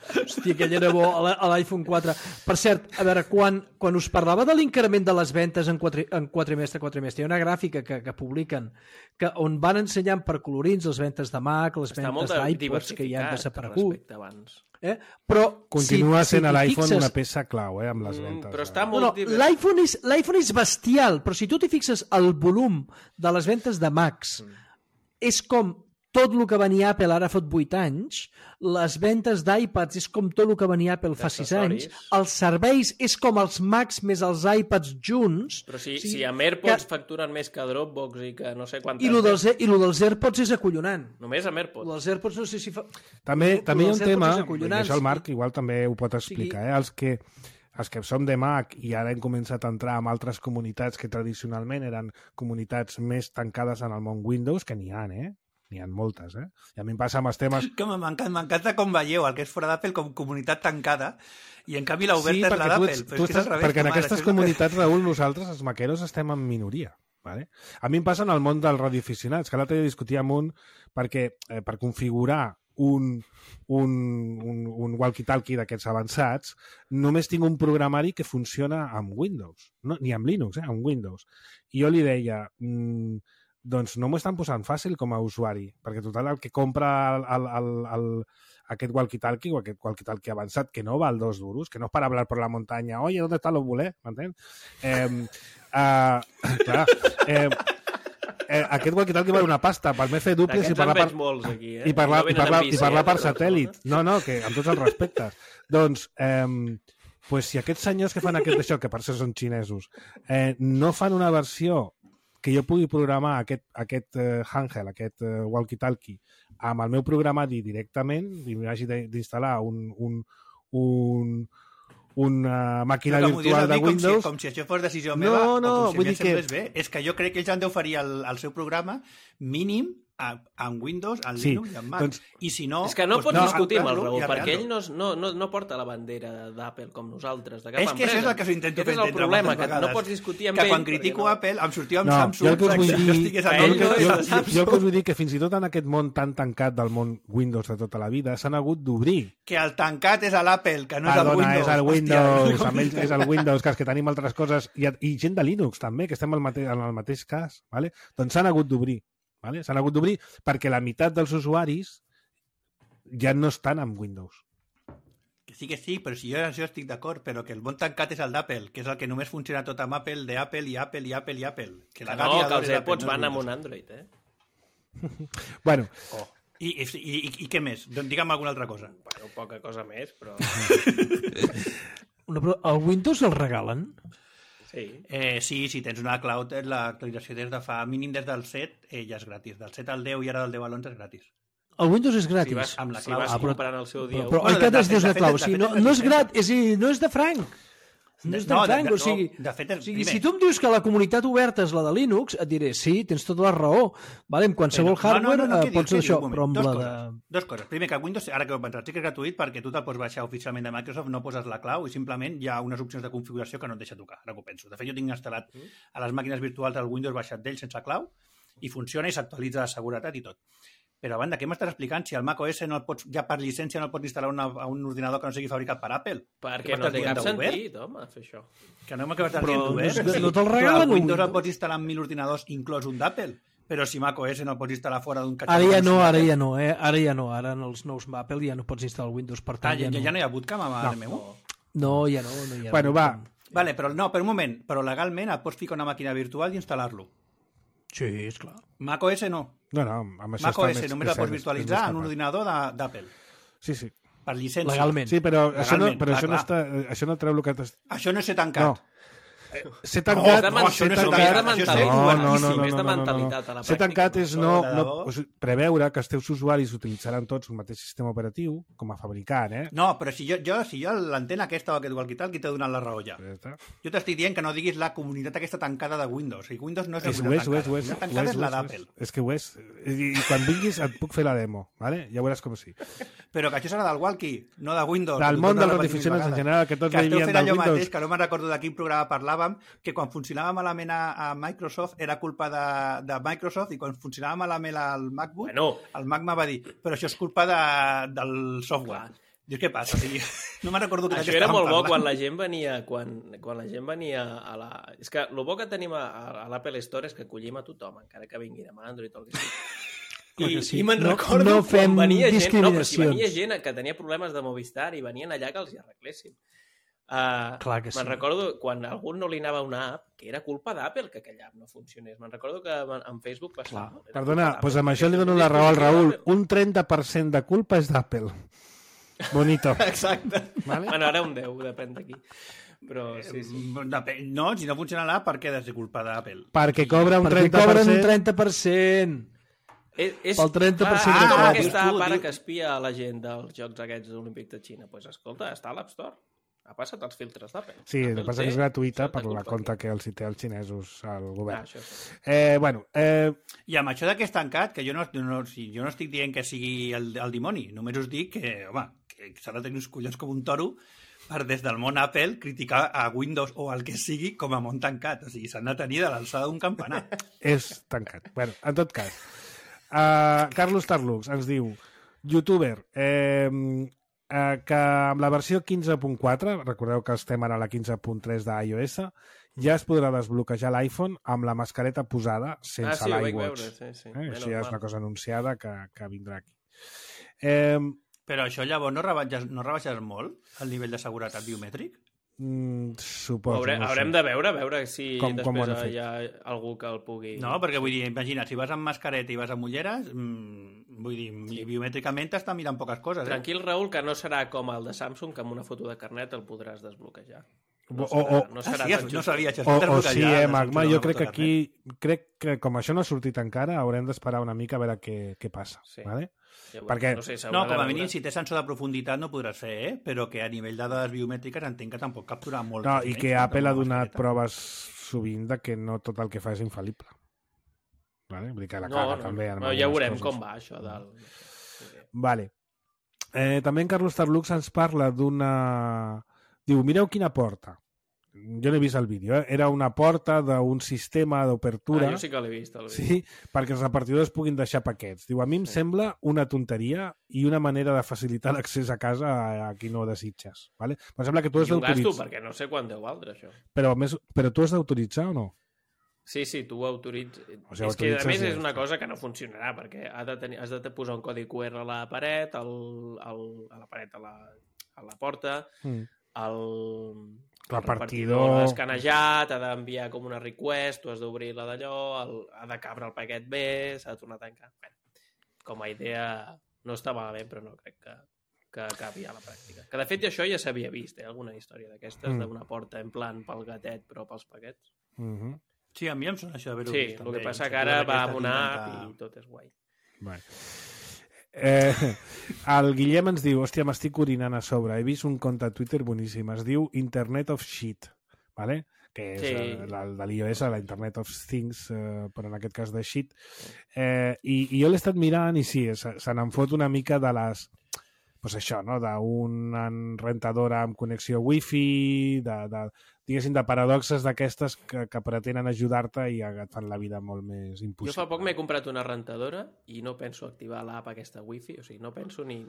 Hòstia, aquell era bo, a l'i- a l'iPhone quatre. Per cert, a veure, quan, quan us parlava de l'increment de les ventes en, quatre, en quatrimestre a quatrimestre, hi ha una gràfica que, que publiquen que on van ensenyant per colorins les ventes de Mac, les Està molt ventes d'iPods que ja han diversificat desaparegut. respecte abans. Eh? Però Continua si, sent si a l'iPhone fixes... una peça clau, eh, amb les Mm, ventes. però eh? està No, molt no, divers- l'iPhone és, l'iPhone és bestial, però si tu t'hi fixes el volum de les ventes de Macs, és com tot el que venia Apple ara fot vuit anys, les ventes d'iPads és com tot el que venia Apple fa sis anys, D'accessoris. els serveis és com els Macs més els iPads junts, Però si, O sigui, si amb AirPods que- facturen més que Dropbox i que no sé quantes... i lo dels, i lo dels AirPods és acollonant. Només amb Lo AirPods. dels AirPods no sé si fa... També, Lo també hi ha dels un tema, AirPods és i acollonant, això el sí. Marc igual també ho pot explicar, eh? els que els que som de Mac i ara hem començat a entrar en altres comunitats que tradicionalment eren comunitats més tancades en el món Windows, que n'hi ha, eh? N'hi ha moltes, eh? I a mi em passa amb els temes... Que m'encanta, m'encanta com veieu el que és fora d'Apple com comunitat tancada i en canvi l'oberta Sí, és la perquè, tu, d'Apple. ets, Però tu és que és al estàs, revés, perquè en com ara, aquestes això és el que- comunitats, Raül, nosaltres, els maqueros, estem en minoria. Vale? A mi em passa en el món dels radioaficionats, que l'altre dia discutia amb un perquè eh, per configurar un, un, un, un walkie-talkie d'aquests avançats, només tinc un programari que funciona amb Windows, no, ni amb Linux, eh, amb Windows. I jo li deia, mmm, doncs no m'ho estan posant fàcil com a usuari, perquè total el que compra el, el, el, el, aquest walkie-talkie o aquest walkie-talkie avançat, que no val dos duros, que no és para hablar por la montaña, oye, ¿dónde está los bulets? M'entens? Eh, uh, clar, eh, eh, aquest walkie-talkie val una pasta, pel més fer duples i D'aquests parlar en per, veig molts aquí, eh? i parlar, no i venen parlar, amb i bici, parlar eh, per de satèl·lit. Barcelona. No, no, que amb tots els respectes. Doncs, eh, pues si aquests senyors que fan aquest això, que per això són xinesos, eh, no fan una versió que jo pugui programar aquest, aquest eh, handheld, aquest eh, walkie-talkie, amb el meu programari directament, i m'hagi d'instal·lar un, un, un, una màquina Però que m'ho dius a virtual de mi com si, Windows... com si això fos decisió No, meva no, o com si vull a mi dir em semblés que- bé. És que jo crec que ells han d'oferir al, al seu programa mínim en Windows, en Sí, Linux i en Mac. doncs- I si no... És que no doncs pots no, discutir amb el arreglar-lo Raül, i perquè ell arreglar-lo. no, no, no porta la bandera d'Apple com nosaltres, de cap És que empresa. això és el que s'ho intento Aquest fer és el entendre problema, moltes que no vegades. pots discutir amb que ell. quan critico perquè Apple em sortia amb No, Samsung, jo el que us vull si jo dir- estigués a Ell Jo, el Londres, no que- és jo, de Samsung. jo el que us vull dir que fins i tot en aquest món tan tancat del món Windows de tota la vida s'han hagut d'obrir. que el tancat és a l'Apple, que no és el Perdona, Windows. és el Hòstia, Windows, com amb ells dic? és el Windows, que és que tenim altres coses, i, i gent de Linux també, que estem al mate, en el mateix cas, vale? Doncs s'han hagut d'obrir. Vale? S'han hagut d'obrir perquè la meitat dels usuaris ja no estan amb Windows. Que sí que sí, però si jo, jo estic d'acord, però que el bon tancat és el d'Apple, que és el que només funciona tot amb Apple, d'Apple i Apple i Apple i Apple. Que la Que no, Gavi que adora els l'Apple, AirPods no van és amb un Windows. Android, eh? Bueno, Oh. I, i, i, I què més? Doncs digue'm alguna altra cosa. Bueno, poca cosa més, però... Una, pro- el Windows el regalen? Sí. Eh, sí, si tens una cloud, eh, l'actualització des de fa mínim des del set, eh, ja és gratis. Del set al deu i ara del deu a l'onze és gratis. El Windows és Si gratis. vas, amb la si clau. vas Ah, però- comprant el seu dia... Però, però Bueno, oi que de- de has dius fet- la clau? de O sigui, fet no, és no és diferent. gratis, és a dir, no és de franc. No és de No, de- franc, de- o sigui, no, de fet és- o sigui primer. si tu em dius que la comunitat oberta és la de Linux, et diré, sí, tens tota la raó. Vale, amb qualsevol Però- hardware no, no, no, eh, què dius, pots què fer dius? això, Un moment. però amb Dos la coses, de... Dos coses. Primer, que Windows, ara que ho he pensat, sí que és gratuït perquè tu te'l pots baixar oficialment de Microsoft, no poses la clau i simplement hi ha unes opcions de configuració que no et deixa tocar, ara que ho penso. De fet, jo tinc instal·lat a les màquines virtuals el Windows baixat d'ell sense clau i funciona i s'actualitza de seguretat i tot. Però a banda, què m'estàs explicant? Si el macOS no el pots, ja per llicència no el pots instal·lar una, a un ordinador que no sigui fabricat per Apple. Perquè Què no m'estàs té dient cap d'obert? sentit, home, fer això. Que no m'acabes de Però dir no obert. és- no te'l Però regalen el un Windows el Windows. pots instal·lar en mil ordinadors, inclòs un d'Apple. Però si macOS no el pots instal·lar fora d'un catxarro... Ara ja no, d'un ara Apple. ja no, eh? Ara ja no, ara en els nous Apple ja no pots instal·lar Windows, per Ah, tant ja, ja, ja no. no hi ha bootcamp amb No. el meu? No, ja no, no hi ha. bueno, va, Vale, però no, per un moment, però legalment et pots ficar una màquina virtual i instal·lar-lo. Sí, esclar. macOS no. no, no, amb això macOS està més, només el és pots cert, virtualitzar és en un més ordinador de- d'Apple. Sí, sí. Per llicència. Legalment. Sí, però, això no, Legalment, però clar, això, no clar. està, això no treu el que t'has... Això no és ser tancat. No. Ser No, tancat... de no, això no és ser ser tancat- tancat. Això és No, ser no, obertíssim. no, no, és de mentalitat a la Ser pràctica. tancat és no, Això, de no, debò. o sigui, preveure que els teus usuaris utilitzaran tots el mateix sistema operatiu com a fabricant, eh? No, però si jo, jo, si jo l'antena aquesta o aquest walkie-talkie t'he donat la raó ja. Ja està. Jo t'estic dient que no diguis la comunitat aquesta tancada de Windows. O sigui, Windows no és la És, ho comunitat és, ho és, ho és, tancada. La ho tancada és, és ho la és, ho d'Apple. és. És que ho és. I, I quan vinguis et puc fer la demo, ¿vale? Ja veuràs com sí. Però que això serà del walkie, no de Windows. Del Ho món torno a dels repetir radioaficionats mil en vegades. general, que tots que esteu vivien fent del allò Windows. mateix, que no me'n recordo de quin programa parlàvem, que quan funcionava malament a, a Microsoft era culpa de, de Microsoft i quan funcionava malament al MacBook, Bueno. el Mac me va dir, però això és culpa de, del software. Dius, què passa? O sigui, no me'n recordo que Això què era estàvem molt bo parlant. quan la gent venia quan, quan la gent venia a la... És que el bo que tenim a, a l'Apple Store és que acollim a tothom, encara que vinguin amb Android o el que sigui. Clar I, que sí. i me'n No- recordo no quan fem venia gent, no, però si discriminacions. venia gent que tenia problemes de Movistar i venien allà que els hi arreglessin. Uh, Clar que sí. Me'n recordo quan a algú no li anava una app que era culpa d'Apple que aquella app no funcionés. Me'n recordo que en en Facebook passava. Era Perdona, culpa doncs d'Apple. amb això li dono la raó al Raül. Un trenta per cent de culpa és d'Apple. Bonito. Exacte. Vale? Bueno, ara un deu, depèn d'aquí. Però sí, sí. Depèn- No, si no funciona l'app, per què ha de ser culpa d'Apple? Perquè cobra un Perquè trenta per cobren un cent... trenta per cent. És, és, Pel trenta per cent clar, de és com copis. aquesta Tu, pare diu- que espia a la gent dels jocs aquests olímpics de Xina. Doncs pues, escolta, està a l'App Store. Ha passat els filtres d'Apple. Sí, el Apple que passa té que és gratuïta certa per la culpa compta aquí. que els hi té els xinesos al Ah, govern. això sí. Eh, bueno, eh, I amb això d'aquest tancat, que jo no, no, si, jo no estic dient que sigui el, el dimoni, només us dic que, home, que s'ha de tenir uns collons com un toro per des del món Apple criticar a Windows o el que sigui com a món tancat. O sigui, s'han de tenir de l'alçada d'un campanar. és tancat. Bueno, en tot cas, uh, Carlos Tarlux ens diu, youtuber, eh, eh, que amb la versió quinze punt quatre, recordeu que estem ara a la quinze punt tres d'iOS, ja es podrà desbloquejar l'iPhone amb la mascareta posada Ah, sense sí, ho vaig l'iWatch. veure, sí, sí. Eh? Menys Això ja és mal. una cosa anunciada que, que vindrà aquí. Eh, Però això llavors no rebaixes, no rebaixes molt el nivell de seguretat biomètric? mm, suposo, Haurem, no ho sé. haurem de veure, a veure si Com- com ho han després fet. hi ha algú que el pugui... No, perquè vull dir, imagina, si vas amb mascareta i vas amb ulleres, mmm, vull dir, sí. biomètricament t'està mirant poques coses, eh? Tranquil, Raül, que no serà com el de Samsung, que amb una foto de carnet el podràs desbloquejar. No O- serà, o- no Ah, serà sí, tan no just. sabia això. O, o desbloquejar, sí, eh, de Magma, sortir jo de crec que fotocarnet. aquí, crec que com això no ha sortit encara, haurem d'esperar una mica a veure què, què passa. Sí. Vale? Ja ho- perquè- no, sé, s'haurà No, de com a veure. mínim, si té sensor de profunditat no podràs fer, eh? Però que a nivell de dades biomètriques entenc que tampoc captura molt. No, i que Apple ha donat proves sovint de que no tot el que fa és infal·lible. Vale? Vull dir que la No, caga no, també. no, ja veurem com va això del... Vale. Eh, també en Carlos Tarlux ens parla d'una... Diu, mireu quina porta. Jo n'he vist el vídeo, eh? Era una porta d'un sistema d'obertura... Ah, jo sí que l'he vist, el vídeo. Sí, perquè els repartidors puguin deixar paquets. Diu, a mi em sí. sembla una tonteria i una manera de facilitar l'accés a casa a, a qui no desitges. Vale? Em sembla que tu has I un gasto, d'autoritzar... perquè no sé quant deu valdre, això. Però, més... Però tu has d'autoritzar o no? Sí, sí, tu ho autoritz... O sigui, és que, a més, ja és una cosa que no funcionarà, perquè ha de tenir, has de posar un codi Q R a la paret, al, al, a la paret, a la, a la porta, mm. el... el repartidor ha escanejat, ha d'enviar com una request, tu has d'obrir la d'allò, el, ha de cabre el paquet bé, s'ha de tornar a tancar. Bé, com a idea no està malament, però no crec que, que acabi a la pràctica. Que de fet això ja s'havia vist, eh? Alguna història d'aquestes, mm. d'una porta en plan pel gatet però pels paquets. Mm-hmm. Sí, a mi em sona això d'haver-ho sí, vist. Sí, el que passa que ara va amb una app i tot és guai. Vale. Eh, el Guillem ens diu, hòstia, m'estic orinant a sobre, he vist un compte a Twitter boníssim, es diu Internet of Shit, ¿vale? Que és sí. la, de l'iOS, la Internet of Things, eh, però en aquest cas de Shit. Eh, i, I jo l'he estat mirant i sí, se, se n'en fot una mica de les... Pues això, no? D'una rentadora amb connexió wifi, de, de, diguéssim, de paradoxes d'aquestes que, que pretenen ajudar-te i et fan la vida molt més impossible. Jo fa poc m'he comprat una rentadora i no penso activar l'app aquesta wifi, o sigui, no penso ni...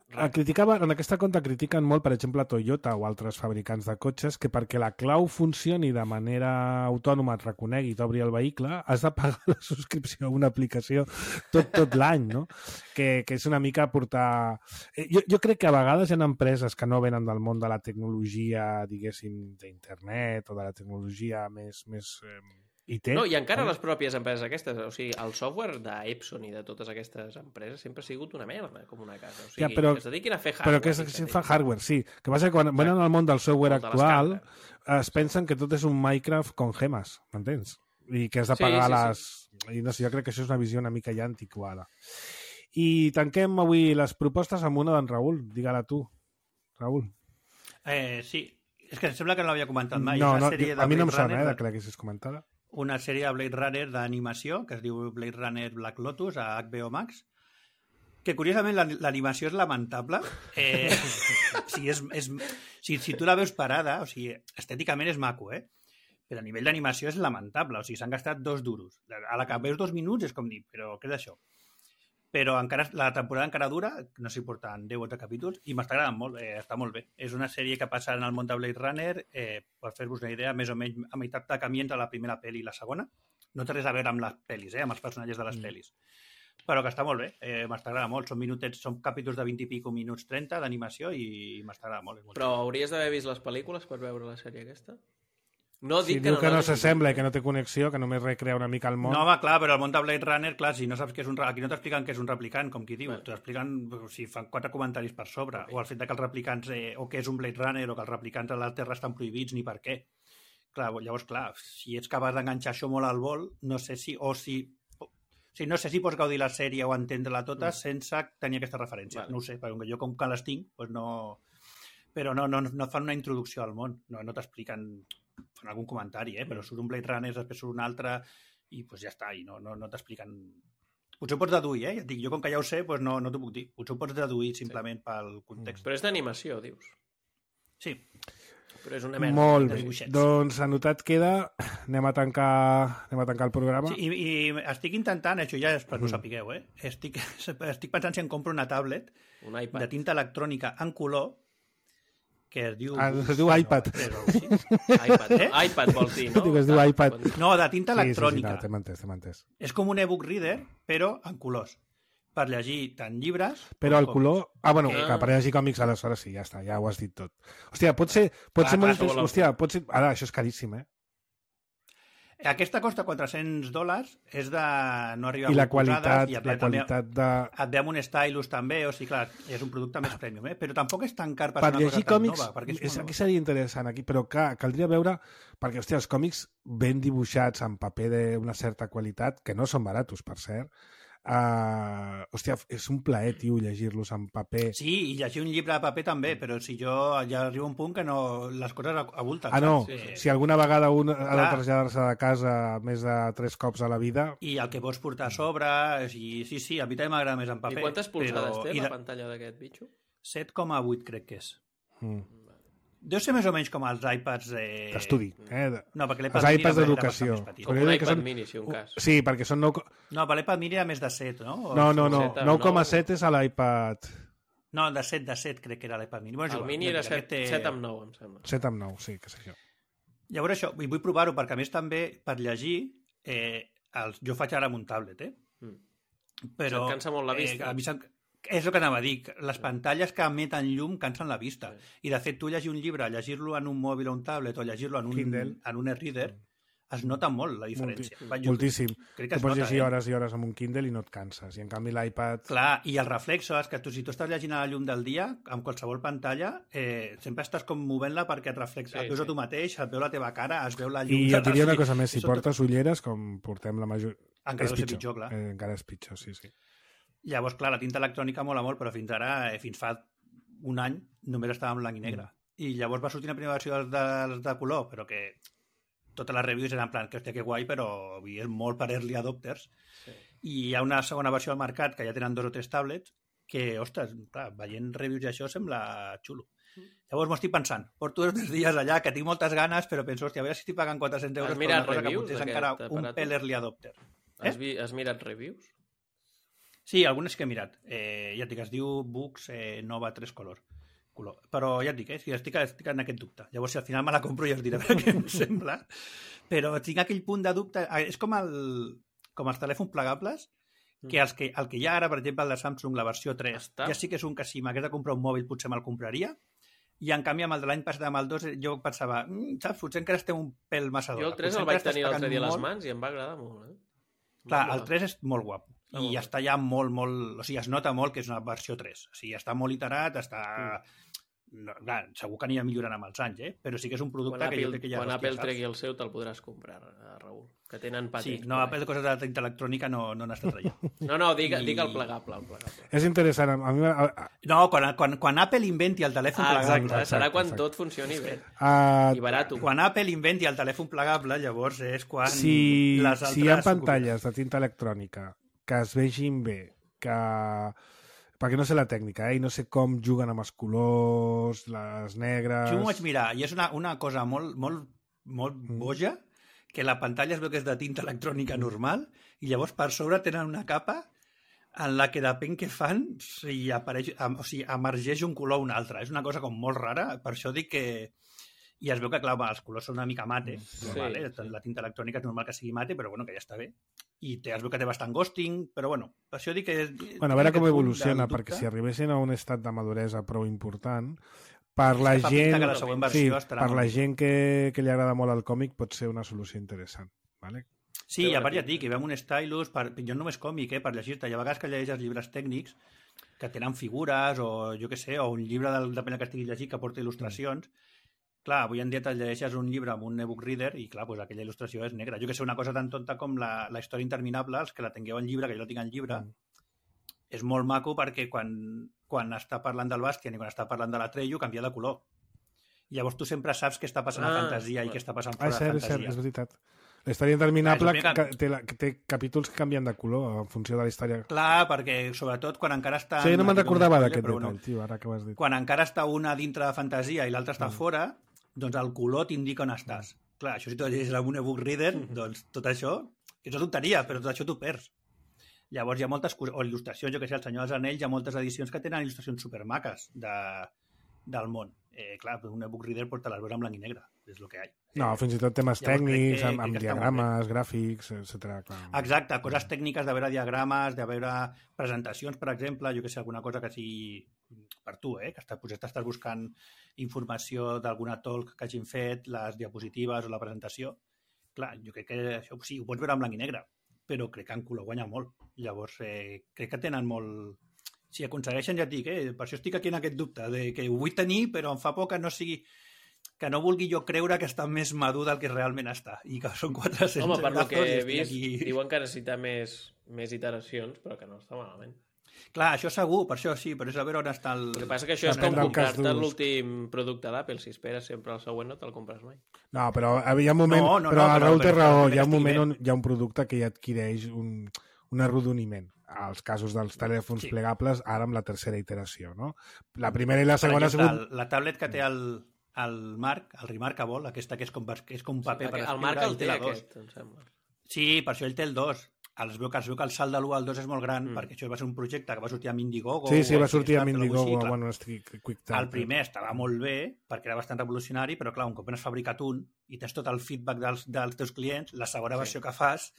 Criticava, en aquesta conta critiquen molt, per exemple, Toyota o altres fabricants de cotxes, que perquè la clau funcioni de manera autònoma, et reconegui i t'obri el vehicle, has de pagar la subscripció a una aplicació tot, tot l'any, no? Que, que és una mica portar... Jo, jo crec que a vegades hi ha empreses que no venen del món de la tecnologia, diguéssim, d'internet o de la tecnologia més... més eh, I té, no, i encara eh? les pròpies empreses aquestes, o sigui, el software d'Epson i de totes aquestes empreses sempre ha sigut una merda, com una casa. O sigui, ja, però, que es dediquin a fer hardware. Però que es, que fa hardware, sí. Que passa que quan venen al món del software de actual es pensen que tot és un Minecraft con gemes, m'entens? I que has de pagar sí, sí, les... Sí. I no sé, jo crec que això és una visió una mica ja antiquada. I tanquem avui les propostes amb una d'en Raül. Digue-la tu, Raül. Eh, sí, és que em sembla que no l'havia comentat mai. No, no, a mi no em sona, eh, que l'haguessis comentada. Una sèrie de Blade Runner d'animació que es diu Blade Runner Black Lotus a H B O Max, que curiosament l'animació és lamentable. Eh, sí, és, és, si, si tu la veus parada, o sigui, estèticament és maco, eh? Però a nivell d'animació és lamentable, o sigui, s'han gastat dos duros. A la que veus dos minuts és com dir, però què és això? Però encara, la temporada encara dura, no s'hi porten deu o dotze capítols, i m'està agradant molt, eh, està molt bé. És una sèrie que passa en el món de Blade Runner, eh, per fer-vos una idea, més o menys a meitat de camí entre la primera pel·li i la segona. No té res a veure amb les pel·lis, eh, amb els personatges de les mm. pel·lis. Però que està molt bé, eh, m'està agradant molt. Són minutets, són capítols de vint i pico minuts, trenta d'animació i m'està agradant molt. molt Però hauries d'haver vist les pel·lícules per veure la sèrie aquesta? No si dic diu que no, que no s'assembla i que no té connexió, que només recrea una mica el món. No, va, clar, però el món de Blade Runner, clar, si no saps que és un... Aquí no t'expliquen que és un replicant, com qui diu. T'expliquen, o sigui, fan quatre comentaris per sobre. O el fet de que els replicants, eh, o que és un Blade Runner, o que els replicants a la Terra estan prohibits, ni per què. Clar, llavors, clar, si ets capaç d'enganxar això molt al vol, no sé si... O si... O sigui, no sé si pots gaudir la sèrie o entendre-la tota mm. sense tenir aquesta referència. Vale. No ho sé, perquè jo com que les tinc, doncs no... Però no, no, no fan una introducció al món. No, no t'expliquen... fan algun comentari, eh? Però surt un Blade Runner, després surt un altre, i pues ja està, i no, no, no t'expliquen... Potser ho pots deduir, eh? Ja et dic, jo com que ja ho sé, pues no, no t'ho puc dir. Potser ho pots deduir simplement sí. pel context. Però és d'animació, dius? Sí. Però és una merda. Molt bé. Doncs anotat queda, anem a tancar, anem a tancar el programa. Sí, i, i estic intentant, això ja és per que ho sapigueu, eh? Estic, estic pensant si em compro una tablet un iPad. de tinta electrònica en color que es diu... Ah, es diu iPad. Però, sí. iPad, eh? iPad vols dir, no? Diu que es diu iPad. No, de tinta electrònica. Sí, sí, sí, no, t'hem entès, t'hem entès. És com un e-book reader, però en colors. Per llegir tant llibres... Però el color... Ah, bueno, ah. que per llegir còmics aleshores sí, ja està, ja ho has dit tot. Hòstia, pot ser, pot ah, ser molt interessant. Hòstia, pot ser... Ara, això és caríssim, eh? Aquesta costa quatre-cents dòlars, és de no arribar I la qualitat, i la qualitat de... Et ve amb un stylus també, o sigui, clar, és un producte més premium, eh? Però tampoc és tan car per, per una llegir cosa còmics, tan nova. És, aquí seria interessant, aquí, però clar, caldria veure, perquè, hòstia, els còmics ben dibuixats en paper d'una certa qualitat, que no són baratos, per cert, Uh, hòstia, és un plaer, tio, llegir-los en paper. Sí, i llegir un llibre de paper també, però si jo ja arribo a un punt que no, les coses abulten. Ah, no, saps? si alguna vegada un ha de Clar. traslladar-se de casa més de tres cops a la vida... I el que pots portar a sobre, sí, sí, sí, a mi també m'agrada més en paper. I quantes polzades però... té I la de... pantalla d'aquest bitxo? set coma vuit crec que és. Mm. Deu ser més o menys com els iPads... Eh... D'estudi, eh? De... No, perquè Els l'iPad Mini iPads era d'educació. bastant més petit. Com Però jo un dic que iPad són- mini, si un cas. Sí, perquè són nou... No, per l'iPad Mini era més de set, no? O... No, no, no, set, nou coma nou. set és a l'iPad... No, de set, de set crec que era l'iPad Mini. Bueno, és El igual, mini era aquest set, té- set amb nou, em sembla. set amb nou, sí, que és això. Llavors això, i vull provar-ho, perquè a més també, per llegir, eh, els... jo faig ara amb un tablet, eh? Mm. Però... Se't cansa molt la vista. Eh, a mi se'm... És el que anava a dir, les pantalles que emeten llum cansen la vista. Sí. I de fet, tu llegir un llibre, llegir-lo en un mòbil o un tablet, o llegir-lo en un, Kindle. en un e-reader, es nota molt la diferència. Va, jo Moltíssim. crec Tu que es pots nota, llegir eh? hores i hores amb un Kindle i no et canses. I en canvi l'iPad... Clar, i els reflexos, que tu, si tu estàs llegint a la llum del dia, amb qualsevol pantalla, eh, sempre estàs com movent-la perquè et reflexa. Sí, et veus sí. a tu mateix, et veu la teva cara, es veu la llum... I et diria una cosa més, si Això- portes ulleres, com portem la major... Encara és deu ser pitjor, clar. Eh, encara és pitjor, sí, sí. Llavors, clar, la tinta electrònica mola molt, però fins ara, eh, fins fa un any, només estava en blanc i negre. Mm. I llavors va sortir una primera versió dels de, de color, però que totes les reviews eren en plan, que hòstia, que guai, però és molt per early adopters. Sí. I hi ha una segona versió al mercat, que ja tenen dos o tres tablets, que, ostres, clar, veient reviews i això sembla xulo. Mm. Llavors m'ho estic pensant, porto dos o tres dies allà, que tinc moltes ganes, però penso, hòstia, a veure si estic pagant quatre-cents euros Has per mirat una cosa que reviews potser és d'aquest encara un aparato? pel early adopter. Has, vi, has mirat reviews? Sí, algunes que he mirat. Eh, ja et dic, es diu Books eh, Nova tres color. color. Però ja et dic, eh, si estic, estic en aquest dubte. Llavors, si al final me la compro ja us diré què em sembla. Però tinc aquell punt de dubte... És com, el, com els telèfons plegables, que, els que el que hi ha ara, per exemple, el de Samsung, la versió tres, Està. ja sí que és un que si m'hagués de comprar un mòbil potser me'l compraria, i en canvi amb el de l'any passat, amb el dos, jo pensava, mm, saps, potser encara estem un pèl massa d'hora. Jo el tres Potser el vaig encara estàs tenir l'altre pagant dia a les molt. mans i em va agradar molt, eh? Clar, Va el tres és molt guapo. Ah, I molt bé. està ja molt, molt... O sigui, es nota molt que és una versió tres. O sigui, està molt iterat, està... No, clar, segur que anirà millorant amb els anys, eh? Però sí que és un producte Quan que jo Apple, crec que ja... quan hòstia, Apple saps? tregui el seu te'l podràs comprar, eh, Raül, que tenen Sí, patents. no, per Apple ahí. de coses de tinta electrònica no, no n'està traient. No, no, digue, I- digue el plegable, el plegable. És interessant. A mi, a, a, No, quan, quan, quan Apple inventi el telèfon Ah, plegable... exacte, exacte, serà quan exacte. tot funcioni bé. a, I barat. Quan Apple inventi el telèfon plegable, llavors és quan si, les altres... si hi ha pantalles de tinta electrònica que es vegin bé, que... perquè no sé la tècnica, eh? I no sé com juguen amb els colors, les negres... Jo m'ho vaig mirar, i és una, una cosa molt, molt, molt Mm. boja, que la pantalla es veu que és de tinta electrònica normal, i llavors per sobre tenen una capa en la que depèn què fan, si apareix, o sigui, emergeix un color o un altre. És una cosa com molt rara, per això dic que... I es veu que, clar, va, els colors són una mica mate, Sí, normal, eh? sí. La tinta electrònica és normal que sigui mate, però bueno, que ja està bé. I té, es veu que té bastant ghosting, però bueno, per això dic que... Bueno, a veure com aquest punt evoluciona, del perquè dubte. si arribessin a un estat de maduresa prou important, per la que fa pinta gent, que la següent sí, versió estarà per molt la bé. gent que, que li agrada molt el còmic pot ser una solució interessant. Vale? Sí, Té i a bona part ja et pinta. dic, hi va amb un stylus, per, jo només còmic, eh, per llegir-te. Hi ha vegades que llegeixes llibres tècnics que tenen figures o jo què sé, o un llibre del, depèn del que estiguis llegint que porta il·lustracions. Clar, avui en dia te llegeixes un llibre amb un e-book reader i clar, pues aquella il·lustració és negra. Jo que sé, una cosa tan tonta com la, la història interminable, els que la tingueu en llibre, que jo la tinc en llibre, Mm. és molt maco perquè quan, quan està parlant del Bastian i quan està parlant de l'Atreyu canvia de color. I llavors tu sempre saps què està passant Ah, a fantasia i clar. què està passant Ah, fora és de cert, és cert, fantasia. és veritat. La història interminable Ah, és el primer que, té, la, que té capítols que canvien de color en funció de la història. Clar, perquè sobretot quan encara està... Sí, no me'n recordava Spoiler, d'aquest però detall, bueno, tio, ara que ho has dit. quan encara està una dintre de fantasia i l'altra està Mm. fora, doncs el color t'indica on estàs. Clar, això si tu llegeixes amb un e-book reader, doncs tot això, que és una tonteria, però tot això t'ho perds. Llavors hi ha moltes coses, o il·lustracions, jo que sé, el Senyor dels Anells, hi ha moltes edicions que tenen il·lustracions supermaques de, del món. Eh, clar, un e-book reader pues, te les veus en blanc i negre, és el que hi ha. No, fins i tot temes Llavors, crec tècnics, que- amb, crec amb que està molt diagrames, gràfics, etcètera. Clar. Exacte, coses tècniques de veure diagrames, de veure presentacions, per exemple, jo que sé, alguna cosa que sigui per tu, eh? que estàs, potser t'estàs buscant informació d'alguna talk que hagin fet, les diapositives o la presentació. Clar, jo crec que això sí, ho pots veure en blanc i negre, però crec que en color guanya molt. Llavors, eh, crec que tenen molt... Si aconsegueixen, ja et dic, eh? Per això estic aquí en aquest dubte, de que ho vull tenir, però em fa por que no sigui... que no vulgui jo creure que està més madur del que realment està, i que són quatre-cents Home, per lo que he i vist, aquí... diuen que necessita més, més iteracions, però que no està malament. Clar, això segur, per això sí, però és a veure on està el... El que passa que això és com Depèn del cas comprar-te d'ús. l'últim producte d'Apple. Si esperes sempre el següent, no te'l compres mai. No, però hi ha un moment... No, no, però no, el però- Raül té però- raó, però hi ha un estic moment bé. on hi ha un producte que ja adquireix un, un arrodoniment. Als casos dels telèfons Sí. plegables, ara amb la tercera iteració, no? La primera i la Per segona ha exemple, sigut... la tablet que té el, el Marc, el Remarkable, aquesta que és com, que és com un paper Sí, per el escriure, Marc el ell té la dos. aquest, em sembla. Sí, per això ell té el dos. Es veu que, es veu que el salt de l'u al dos és molt gran, Mm. perquè això va ser un projecte que va sortir amb Indiegogo. Sí, sí, o va sortir amb Kickstarter o Indiegogo, alguna cosa així, clar. bueno, estic QuickTime. El primer estava molt bé, perquè era bastant revolucionari, però clar, un cop n'has fabricat un i tens tot el feedback dels, dels teus clients, la segona Sí. versió que fas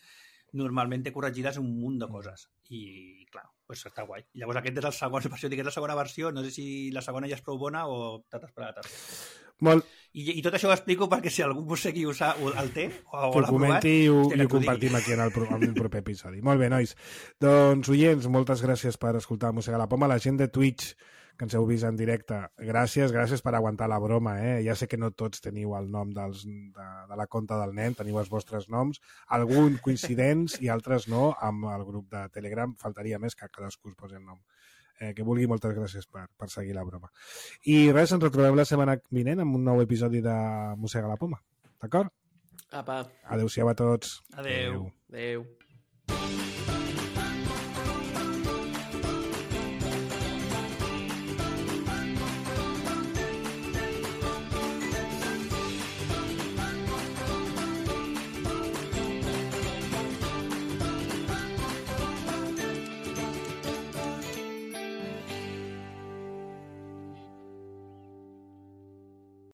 normalment te corregiràs un munt de coses. I, clar, doncs està guai. I llavors aquest és el segon, per això dic que és la segona versió, no sé si la segona ja és prou bona o t'has d'esperar a la tercera. Molt, I, I tot això ho explico perquè si algú vos segui usar, o el té o, que o ho l'ha provat, comenti i ho, hòstia, i que ho t'ho digui. compartim aquí en el, pro- en el proper episodi. Molt bé, nois. Doncs, oients, moltes gràcies per escoltar Mossegar la Poma. La gent de Twitch, que ens heu vist en directe, gràcies, gràcies per aguantar la broma, eh? Ja sé que no tots teniu el nom dels, de, de la conta del nen, teniu els vostres noms, algun coincidents i altres no, amb el grup de Telegram. Faltaria més que cadascú es posi el nom. Eh, que vulgui, moltes gràcies per, per seguir la broma. I res, ens retrobem la setmana vinent amb un nou episodi de Mossega la Poma. D'acord? Apa, Adéu-siau a tots. Adéu. adeu.